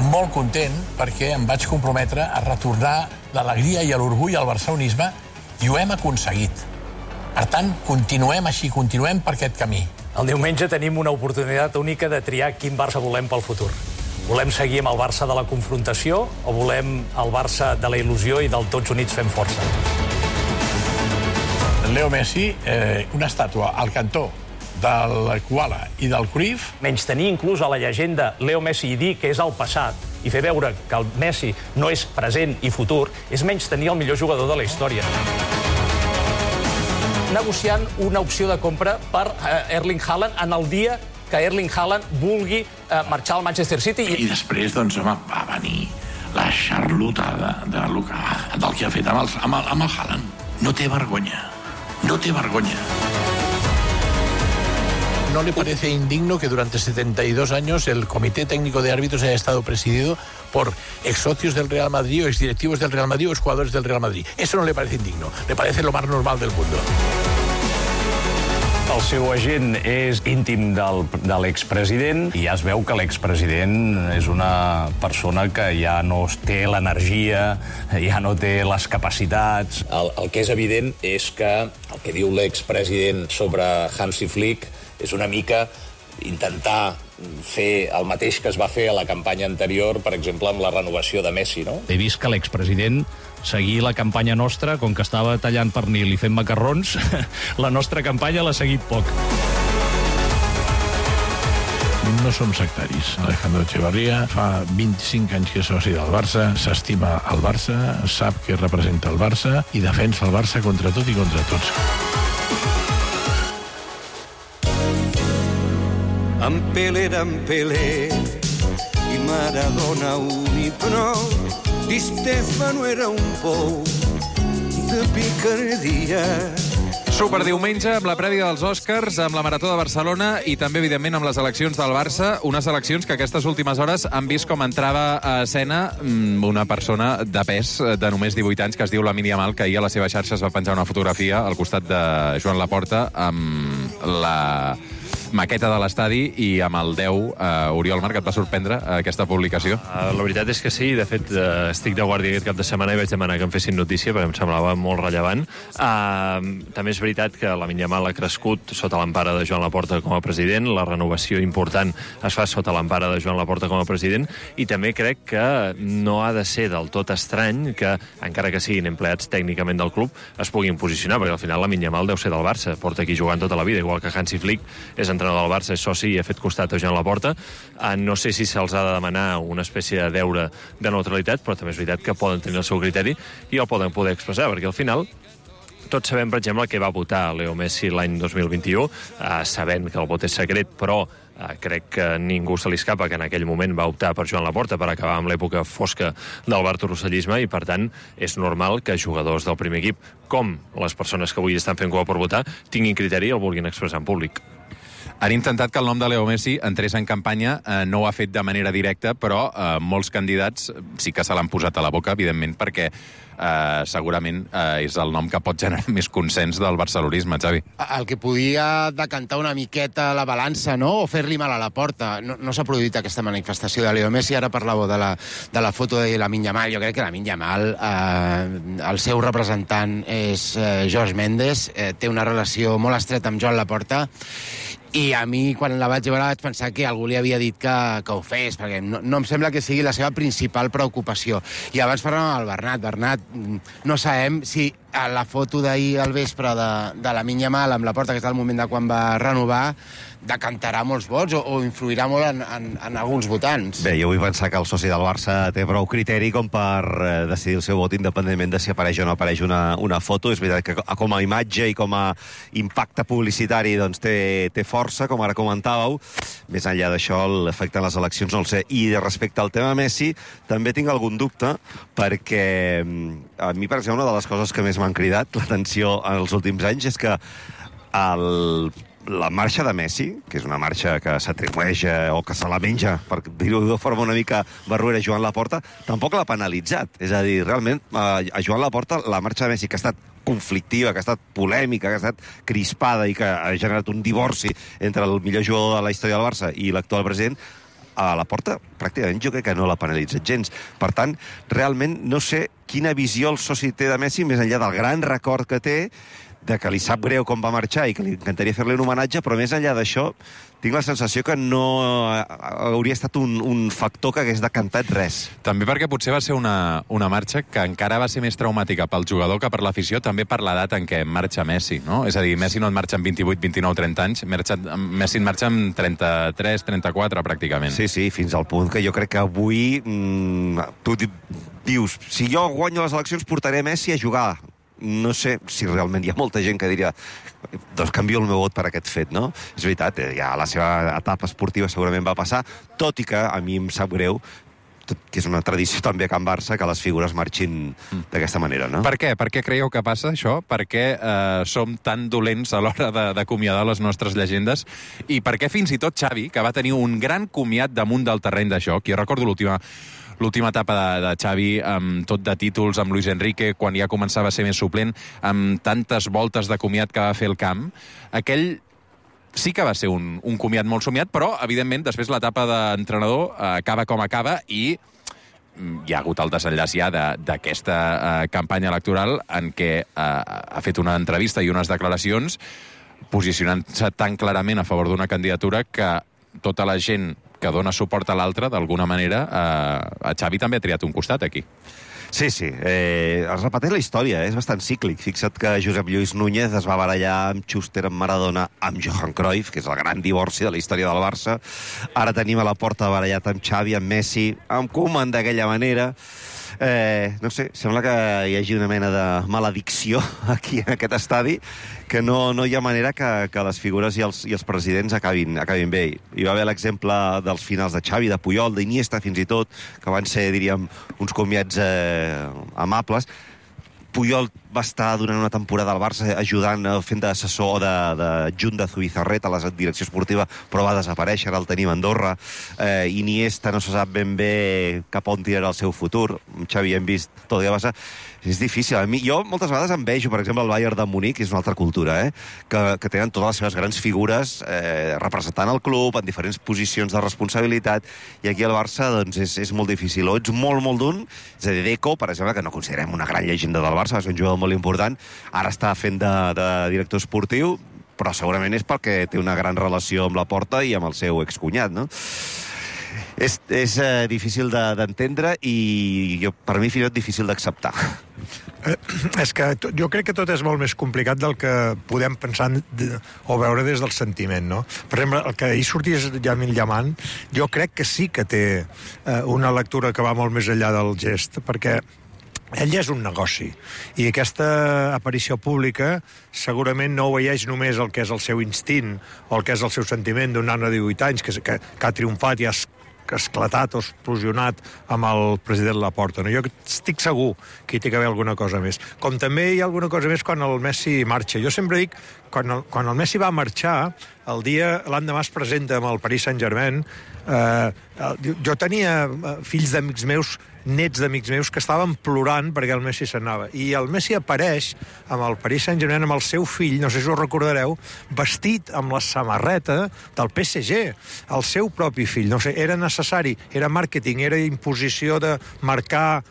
molt content perquè em vaig comprometre a retornar l'alegria i l'orgull al barcelonisme i ho hem aconseguit. Per tant, continuem així, continuem per aquest camí. El diumenge tenim una oportunitat única de triar quin Barça volem pel futur. Volem seguir amb el Barça de la confrontació o volem el Barça de la il·lusió i del tots units fem força? Leo Messi, una estàtua al cantó del Koala i del Cruyff. Menys tenir inclús a la llegenda Leo Messi i dir que és el passat i fer veure que el Messi no és present i futur és menys tenir el millor jugador de la història. Negociant una opció de compra per Erling Haaland en el dia que Erling Haaland vulgui marxar al Manchester City. I després, doncs, va venir la xarlotada del que ha fet amb el Haaland. No té vergonya. No té vergonya. ¿No le parece indigno que durante 72 años el Comité Técnico de Árbitros haya estado presidido por ex-socios del Real Madrid o ex-directivos del Real Madrid o ex-jugadores del Real Madrid? Eso no le parece indigno, le parece lo más normal del mundo. El seu agent és íntim de l'expresident i ja es veu que l'expresident és una persona que ja no té l'energia, ja no té les capacitats. El que és evident és que el que diu l'expresident sobre Hansi Flick és una mica intentar fer el mateix que es va fer a la campanya anterior, per exemple, amb la renovació de Messi, no? He vist que l'expresident seguir la campanya nostra, com que estava tallant pernil i fent macarrons, la nostra campanya l'ha seguit poc. No som sectaris. Alejandro Echevarría fa 25 anys que és soci del Barça, s'estima el Barça, sap que representa el Barça i defensa el Barça contra tot i contra tots. En Pelé, i Maradona i prou, i Stefano era un pou de picardia. Superdiumenge, amb la prèvia dels Oscars, amb la Marató de Barcelona i també, evidentment, amb les eleccions del Barça, unes eleccions que aquestes últimes hores han vist com entrava a escena una persona de pes de només 18 anys que es diu Lamine Yamal, que ahir a la seva xarxa es va penjar una fotografia al costat de Joan Laporta amb la maqueta de l'estadi, i amb el 10, Oriol Marc, et va sorprendre aquesta publicació? La veritat és que sí, de fet, estic de guàrdia aquest cap de setmana i vaig demanar que em fessin notícia, perquè em semblava molt rellevant. També és veritat que Lamine Yamal ha crescut sota l'empara de Joan Laporta com a president, la renovació important es fa sota l'empara de Joan Laporta com a president, i també crec que no ha de ser del tot estrany que, encara que siguin empleats tècnicament del club, es puguin posicionar, perquè al final Lamine Yamal deu ser del Barça, porta aquí jugant tota la vida, igual que Hansi Flick és entrenador del Barça, és soci i ha fet costat a Joan Laporta. No sé si se'ls ha de demanar una espècie de deure de neutralitat, però també és veritat que poden tenir el seu criteri i el poden poder expressar, perquè al final tots sabem, per exemple, que va votar Leo Messi l'any 2021, sabent que el vot és secret, però crec que ningú se li escapa que en aquell moment va optar per Joan Laporta per acabar amb l'època fosca del bartorossellisme, i per tant és normal que jugadors del primer equip, com les persones que avui estan fent cua per votar, tinguin criteri i el vulguin expressar en públic. Han intentat que el nom de Leo Messi entrés en campanya, no ho ha fet de manera directa, però molts candidats sí que se l'han posat a la boca, evidentment, perquè segurament és el nom que pot generar més consens del barcelonisme, Xavi. El que podia decantar una miqueta la balança, no?, o fer-li mal a la porta. No s'ha produït aquesta manifestació de Leo Messi. Ara parlàveu de la foto de Lamine Yamal. Jo crec que Lamine Yamal, el seu representant és Jorge Mendes, té una relació molt estreta amb Joan Laporta, i a mi, quan la vaig veure, vaig pensar que algú li havia dit que ho fes, perquè no em sembla que sigui la seva principal preocupació. I abans parlàvem amb el Bernat. Bernat, no sabem si a la foto d'ahir al vespre de Lamine Yamal amb Laporta, que és el moment de quan va renovar, decantarà molts vots o influirà molt en alguns votants. Bé, jo vull pensar que el soci del Barça té prou criteri com per decidir el seu vot independentment de si apareix o no apareix una foto. És veritat que com a imatge i com a impacte publicitari doncs té força, com ara comentàveu. Més enllà d'això, l'efecte en les eleccions no el sé. I respecte al tema Messi, també tinc algun dubte, perquè a mi, per exemple, una de les coses que més m'han cridat l'atenció en els últims anys és que la marxa de Messi, que és una marxa que s'atribueix o que se la menja, per dir-ho de forma una mica barruera, Joan Laporta, tampoc l'ha penalitzat. És a dir, realment, a Joan Laporta, la marxa de Messi, que ha estat conflictiva, que ha estat polèmica, que ha estat crispada i que ha generat un divorci entre el millor jugador de la història del Barça i l'actual president, a Laporta pràcticament jo crec que no l'ha penalitzat gens. Per tant, realment no sé quina visió el soci té de Messi, més enllà del gran record que té, de que li sap greu com va marxar i que li encantaria fer-li un homenatge, però més enllà d'això tinc la sensació que no hauria estat un factor que hagués decantat res. També perquè potser va ser una marxa que encara va ser més traumàtica pel jugador que per l'afició, també per l'edat en què marxa Messi, no? És a dir, Messi no en marxa amb 28, 29, 30 anys, Messi en marxa amb 33, 34, pràcticament. Sí, fins al punt que jo crec que avui tu dius, si jo guanyo les eleccions portaré Messi a jugar. No sé si realment hi ha molta gent que diria doncs canvio el meu vot per aquest fet, no? És veritat, ja la seva etapa esportiva segurament va passar, tot i que a mi em sap greu, que és una tradició també a Can Barça, que les figures marxin d'aquesta manera, no? Per què? Per què creieu que passa això? Per què som tan dolents a l'hora d'acomiadar les nostres llegendes? I per què fins i tot Xavi, que va tenir un gran comiat damunt del terreny de joc, jo recordo l'última etapa de Xavi, amb tot de títols, amb Luis Enrique, quan ja començava a ser més suplent, amb tantes voltes de comiat que va fer el camp, aquell sí que va ser un comiat molt somiat, però, evidentment, després l'etapa d'entrenador acaba com acaba i hi ha hagut el desenllaç ja d'aquesta campanya electoral en què ha fet una entrevista i unes declaracions posicionant-se tan clarament a favor d'una candidatura que tota la gent que dona suport a l'altre, d'alguna manera, a Xavi també ha triat un costat aquí. Sí. Es repeteix la història, és bastant cíclic. Fixa't que Josep Lluís Núñez es va barallar amb Schuster, amb Maradona, amb Johan Cruyff, que és el gran divorci de la història del Barça. Ara tenim a Laporta barallat amb Xavi, amb Messi, amb Koeman d'aquella manera. No sé, sembla que hi hagi una mena de maledicció aquí en aquest estadi, que no hi ha manera que les figures i els presidents acabin bé. Hi va haver l'exemple dels finals de Xavi, de Puyol, d'Iniesta fins i tot, que van ser, diríem, uns comiats amables. Puyol va estar durant una temporada al Barça ajudant, fent d'assessor d'adjunt de Zubizarreta a la direcció esportiva, però va desaparèixer, ara el tenim a Andorra. Iniesta no se sap ben bé cap on tirarà el seu futur. Xavi, hem vist tot el que passa. És difícil. Jo moltes vegades em vejo, per exemple, el Bayern de Munic, que és una altra cultura, que tenen totes les seves grans figures representant el club en diferents posicions de responsabilitat, i aquí al Barça doncs, és molt difícil. O ets molt, molt d'un, és a dir, Deco, per exemple, que no considerem una gran llegenda del Barça, és un jugador molt important, ara està fent de director esportiu, però segurament és perquè té una gran relació amb la Porta i amb el seu excunyat, no? És difícil d'entendre i per mi fins i tot difícil d'acceptar. És que jo crec que tot és molt més complicat del que podem pensar o veure des del sentiment, no? Per exemple, el que ahir sortís Lamine Yamal, jo crec que sí que té una lectura que va molt més enllà del gest, perquè ell és un negoci, i aquesta aparició pública segurament no obeeix només el que és el seu instint o el que és el seu sentiment d'un nano de 18 anys que ha triomfat i ha esclatat o explosionat amb el president Laporta. No? Jo estic segur que hi té que haver alguna cosa més. Com també hi ha alguna cosa més quan el Messi marxa. Jo sempre dic, quan el Messi va marxar, l'endemà es presenta amb el Paris Saint-Germain, jo tenia fills d'amics meus, nets d'amics meus, que estaven plorant perquè el Messi s'anava. I el Messi apareix amb el Paris Saint-Germain, amb el seu fill, no sé si ho recordareu, vestit amb la samarreta del PSG, el seu propi fill. No sé, era necessari, era màrqueting, era imposició de marcar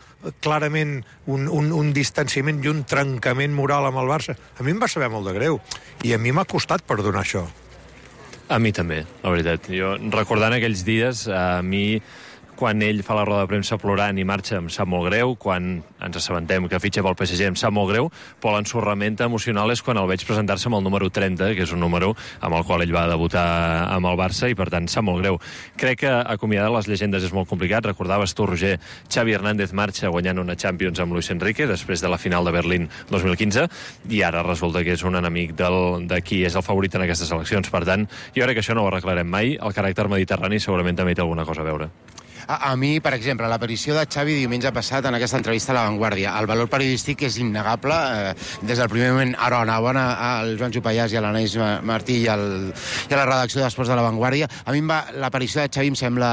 clarament un distanciament i un trencament moral amb el Barça. A mi em va saber molt de greu, i a mi m'ha costat perdonar això. A mi també, la veritat. Jo, recordant aquells dies, a mi, quan ell fa la roda de premsa plorant i marxa, em sap molt greu. Quan ens assabentem que fitxa pel PSG, em sap molt greu. Però l'ensorrament emocional és quan el veig presentar-se amb el número 30, que és un número amb el qual ell va debutar amb el Barça, i per tant sap molt greu. Crec que acomiadar les llegendes és molt complicat. Recordaves tu, Roger, Xavi Hernández marxa guanyant una Champions amb Luis Enrique després de la final de Berlín 2015, i ara resulta que és un enemic de qui és el favorit en aquestes eleccions. Per tant, jo crec que això no ho arreglarem mai. El caràcter mediterrani segurament també té alguna cosa a veure. A mi, per exemple, l'aparició de Xavi diumenge passat en aquesta entrevista a La Vanguardia, el valor periodístic és innegable. Des del primer moment, enhorabona al Joan Jopallàs i a l'Anaïs Martí i a la redacció d'Esports de La Vanguardia. A mi l'aparició de Xavi em sembla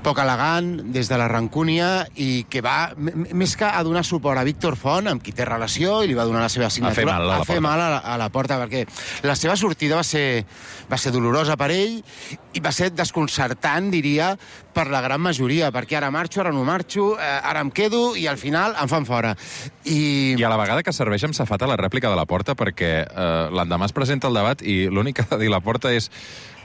poc elegant, des de la rancúnia, i que va, més que a donar suport a Víctor Font, amb qui té relació, i li va donar la seva signatura, a fer mal a la Porta, perquè la seva sortida va ser dolorosa per ell, i va ser desconcertant, diria, per la gran majoria, perquè ara marxo, ara no marxo, ara em quedo, i al final em fan fora. I a la vegada que serveix amb safata la rèplica de la Porta, perquè l'endemà es presenta el debat i l'únic que ha de dir la Porta és: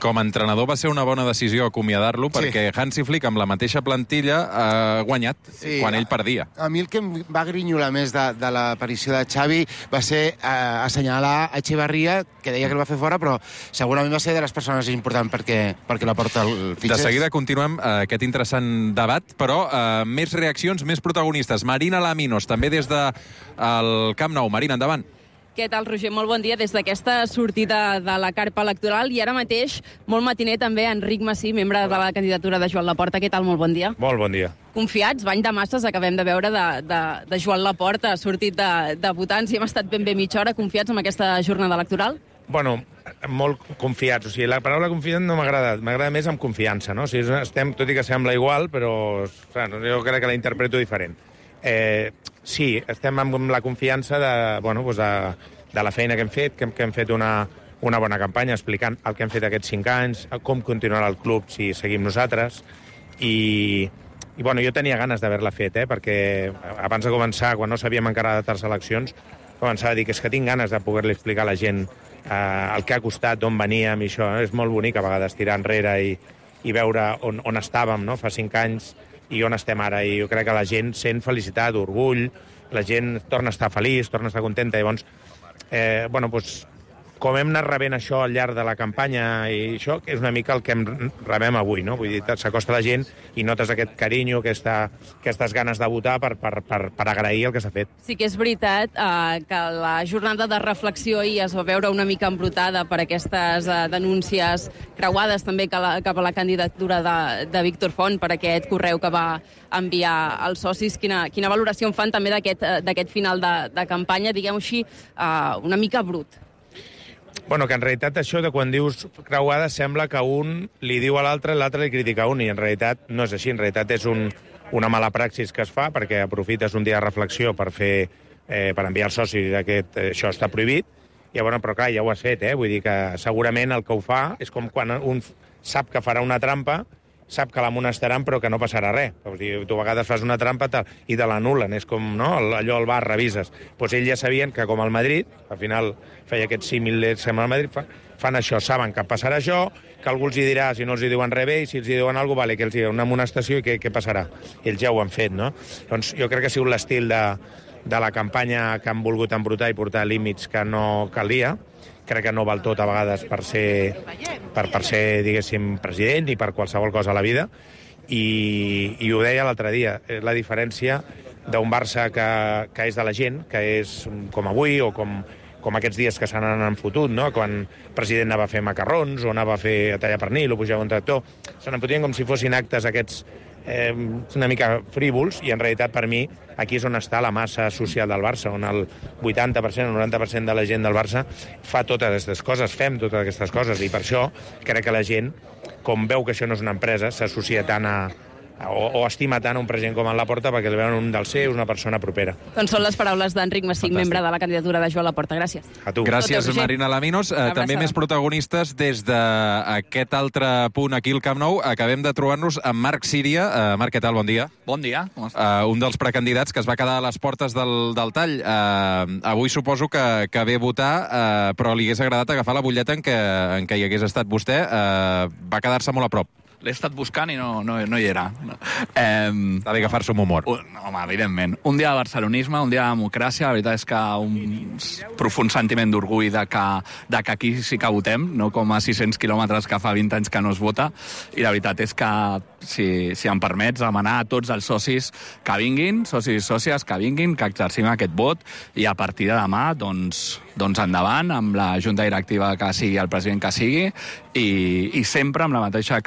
com a entrenador va ser una bona decisió acomiadar-lo, perquè Hansi Flick, amb la mateixa plantilla, ha guanyat quan ell perdia. A mi el que em va grinyolar més de l'aparició de Xavi va ser assenyalar a Echevarría, que deia que el va fer fora, però segurament va ser de les persones importants perquè la Porta el fitxés. De seguida continuem aquest interessant debat, però més reaccions, més protagonistes. Marina Laminos, també des del Camp Nou. Marina, endavant. Què tal, Roger? Molt bon dia des d'aquesta sortida de la carpa electoral, i ara mateix, molt matiner també, Enric Massí, membre de la candidatura de Joan Laporta. Què tal? Molt bon dia. Molt bon dia. Confiats? Bany de masses acabem de veure de Joan Laporta, sortit de votants, i hem estat ben bé mitja hora confiats en aquesta jornada electoral? Bueno, molt confiats. O sigui, la paraula confiat no m'agrada. M'agrada més amb confiança, no? O sigui, estem, tot i que sembla igual, però jo crec que la interpreto diferent. Sí, estem amb la confiança de la feina que hem fet, que hem fet una bona campanya explicant el que hem fet aquests 5 anys, com continuarà el club si seguim nosaltres, i jo tenia ganes d'haver-la fet, perquè abans de començar, quan no sabíem encara de tals eleccions, començava a dir que és que tinc ganes de poder-li explicar a la gent el que ha costat, d'on veníem, i això és molt bonic a vegades tirar enrere i veure on estàvem, no?, fa 5 anys, i on estem ara, i jo crec que la gent sent felicitat, orgull, la gent torna a estar feliç, torna a estar contenta, llavors, com hem anat rebent això al llarg de la campanya i això, que és una mica el que rebem avui, no? Vull dir, s'acosta la gent i notes aquest carinyo, aquestes ganes de votar per agrair el que s'ha fet. Sí que és veritat que la jornada de reflexió ahir es va veure una mica embrutada per aquestes denúncies creuades també cap a la candidatura de Víctor Font per aquest correu que va enviar als socis. Quina valoració en fan també d'aquest final de campanya, diguem-ho així, una mica brut? Bueno, que en realitat això de quan dius creuada sembla que un li diu a l'altre i l'altre li critica a un, i en realitat no és així. En realitat és una mala praxis que es fa perquè aprofites un dia de reflexió per enviar als socis que això està prohibit. Llavors, però clar, ja ho has fet, Vull dir que segurament el que ho fa és com quan un sap que farà una trampa, sap que l'amonestaran però que no passarà res. O sigui, tu a vegades fas una trampa i te l'anul·len, és com allò al bar, revises. Doncs ells ja sabien que com al Madrid, al final feia aquest símil sembla al Madrid, fan això, saben que passarà això, que algú els hi dirà, si no els hi diuen res bé, i si els hi diuen alguna cosa, vale, que els hi diuen una amonestació i què passarà. Ells ja ho han fet, no? Doncs jo crec que ha sigut l'estil de la campanya que han volgut embrutar i portar límits que no calia. Crec que no val tot a vegades per ser, diguéssim, president i per qualsevol cosa a la vida. I ho deia l'altre dia, la diferència d'un Barça que és de la gent, que és com avui o com aquests dies que se n'han fotut, no? Quan el president anava a fer macarrons o anava a fer a tallar pernil o pujava un tractor, se n'empotien com si fossin actes aquests una mica frívols, i en realitat per mi aquí és on està la massa social del Barça, on el 80%, el 90% de la gent del Barça fa totes aquestes coses, fem totes aquestes coses, i per això crec que la gent, com veu que això no és una empresa, s'associa tant o estima tant un president com en Laporta perquè el veuen un dels seus, una persona propera. Doncs són les paraules d'Enric Massig, membre de la candidatura de Joan Laporta. Gràcies. A tu. Gràcies, Marina Laminos. També més protagonistes des d'aquest altre punt aquí al Camp Nou. Acabem de trobar-nos amb Marc Síria. Marc, què tal? Bon dia. Bon dia. Com estàs? Un dels precandidats que es va quedar a les portes del tall. Avui suposo que ve a votar, però li hagués agradat agafar la butlleta en què hi hagués estat vostè. Va quedar-se molt a prop. L'he estat buscant i no hi era. S'ha d'agafar-se amb humor. Home, evidentment. Un dia de barcelonisme, un dia de democràcia, la veritat és que un profund sentiment d'orgull de que aquí sí que votem, no com a 600 quilòmetres que fa 20 anys que no es vota, i la veritat és que, si em permets, demanar a tots els socis que vinguin, socis i sòcies que vinguin, que exercim aquest vot, i a partir de demà, doncs endavant, amb la junta directiva que sigui, el president que sigui, i sempre amb la mateixa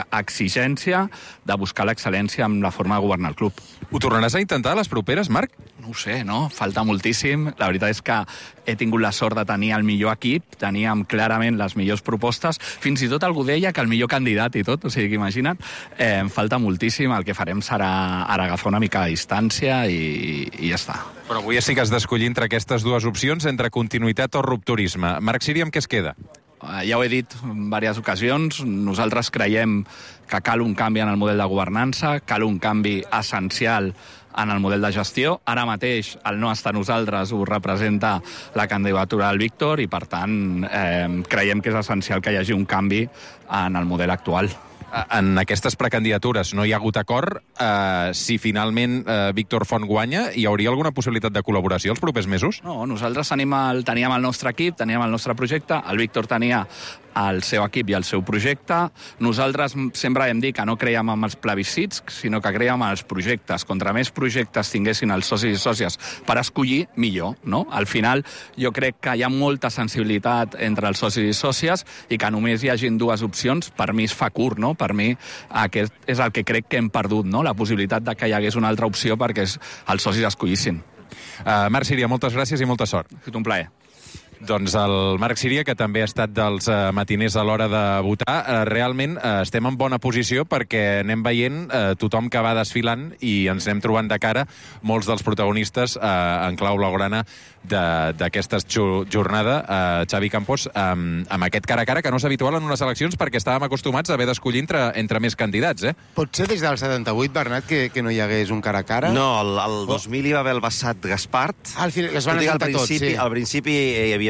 exigència de buscar l'excel·lència amb la forma de governar el club. Ho tornaràs a intentar a les properes, Marc? No ho sé, no? Falta moltíssim. La veritat és que he tingut la sort de tenir el millor equip, teníem clarament les millors propostes, fins i tot algú deia que el millor candidat i tot, o sigui, imagina't, em falta moltíssim, el que farem serà ara agafar una mica de distància i ja està. Però avui sí que has d'escollir entre aquestes dues opcions, entre continuïtat o rupturisme. Marc Síria, amb què es queda? Ja ho he dit en diverses ocasions, nosaltres creiem que cal un canvi en el model de governança, cal un canvi essencial en el model de gestió. Ara mateix el no estar nosaltres ho representa la candidatura del Víctor i, per tant, creiem que és essencial que hi hagi un canvi en el model actual. En aquestes precandidatures no hi ha hagut acord. Si finalment Víctor Font guanya, hi hauria alguna possibilitat de col·laboració els propers mesos? No, nosaltres teníem el nostre equip, teníem el nostre projecte, el Víctor tenia el seu equip i el seu projecte. Nosaltres sempre hem dit que no creiem en els plebiscits, sinó que creiem en els projectes. Contra més projectes tinguessin els socis i sòcies per escollir, millor, no? Al final, jo crec que hi ha molta sensibilitat entre els socis i sòcies i que només hi hagin dues opcions, per mi es fa curt, no? Per mi aquest és el que crec que hem perdut, no? La possibilitat de que hi hagués una altra opció perquè els socis escollissin. Marc Síria, moltes gràcies i molta sort. Ha estat un plaer. Doncs el Marc Síria, que també ha estat dels matiners a l'hora de votar, realment estem en bona posició perquè anem veient tothom que va desfilant i ens anem trobant de cara molts dels protagonistes en clau blaugrana d'aquesta jornada. Xavi Campos, amb aquest cara a cara que no és habitual en unes eleccions perquè estàvem acostumats a haver d'escollir entre més candidats, Potser des del 78, Bernat, que no hi hagués un cara a cara? No, el 2000 hi va haver el Bassat Gaspart. Es van ajuntar tots, sí. Al principi hi havia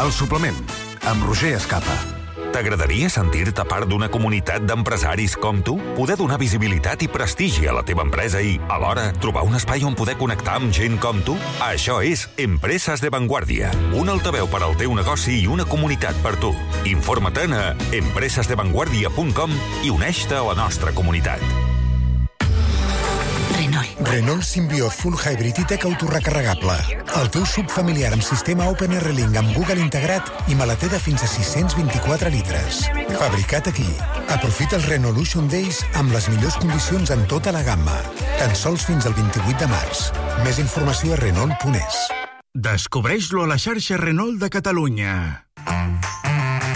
El suplement, amb Roger Escapa. T'agradaria sentir-te part d'una comunitat d'empresaris com tu? Poder donar visibilitat i prestigi a la teva empresa i, alhora, trobar un espai on poder connectar amb gent com tu? Això és Empreses de Vanguardia, un altaveu per al teu negoci i una comunitat per tu. Informa-te'n a empresesdevanguardia.com i uneix-te a la nostra comunitat. Renault Symbiote Full Hybrid i Tech autorecarregable. El teu SUV familiar amb sistema OpenR-Link amb Google integrat i maleter de fins a 624 litres. Fabricat aquí. Aprofita els Renaulution Days amb les millors condicions en tota la gamma. Tan sols fins al 28 de març. Més informació a Renault.es. Descobreix-lo a la xarxa Renault de Catalunya.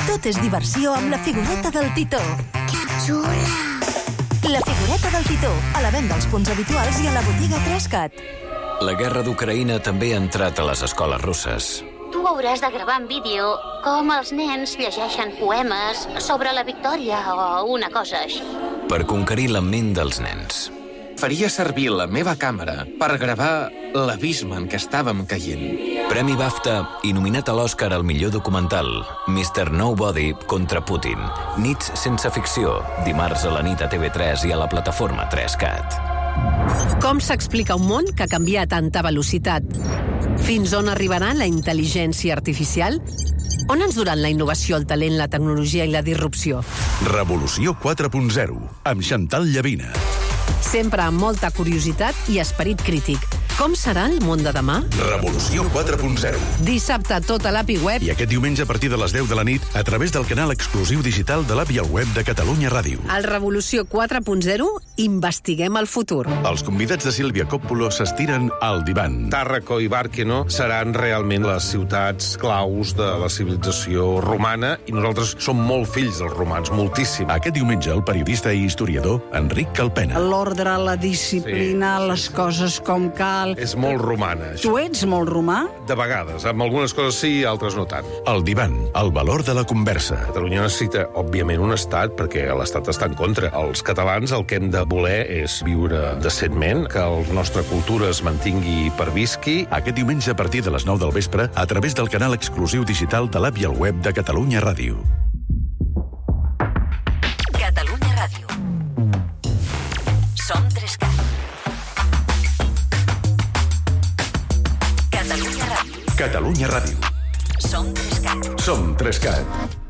Tot és diversió amb la figureta del Titó. Que xula! La figureta del Titó, a la venda als punts habituals i a la botiga 3CAT. La guerra d'Ucraïna també ha entrat a les escoles russes. Tu hauràs de gravar en vídeo com els nens llegeixen poemes sobre la victòria o una cosa així. Per conquerir la ment dels nens. Faria servir la meva càmera per gravar l'abisme en què estàvem caient. Premi BAFTA i nominat a l'Oscar al millor documental, Mr. Nobody contra Putin. Nits sense ficció, dimarts a la nit a TV3 i a la plataforma 3CAT. Com s'explica un món que canvia a tanta velocitat? Fins on arribarà la intel·ligència artificial? On ens duran la innovació, el talent, la tecnologia i la disrupció? Revolució 4.0, amb Chantal Llavina. Sempre amb molta curiositat i esperit crític. Com serà el món de demà? Revolució 4.0. Dissabte tot a l'API web. I aquest diumenge a partir de les 10 de la nit a través del canal exclusiu digital de l'API al web de Catalunya Ràdio. Al Revolució 4.0 investiguem el futur. Els convidats de Sílvia Coppola s'estiren al divan. Tàrraco i Bàrqueno seran realment les ciutats claus de la civilització romana i nosaltres som molt fills dels romans, moltíssim. Aquest diumenge el periodista i historiador Enric Calpena. L'ordre, la disciplina, les coses com cal. És molt romana, això. Tu ets molt romà? De vegades. Amb algunes coses sí, altres no tant. El divan, el valor de la conversa. Catalunya necessita, òbviament, un estat, perquè l'estat està en contra. Els catalans el que hem de voler és viure decentment, que la nostra cultura es mantingui i pervisqui. Aquest diumenge a partir de les 9 del vespre, a través del canal exclusiu digital de l'API al web de Catalunya Ràdio. Catalunya Ràdio. Som 3CAT. Catalunya Ràdio. Som 3CAT. Som 3CAT.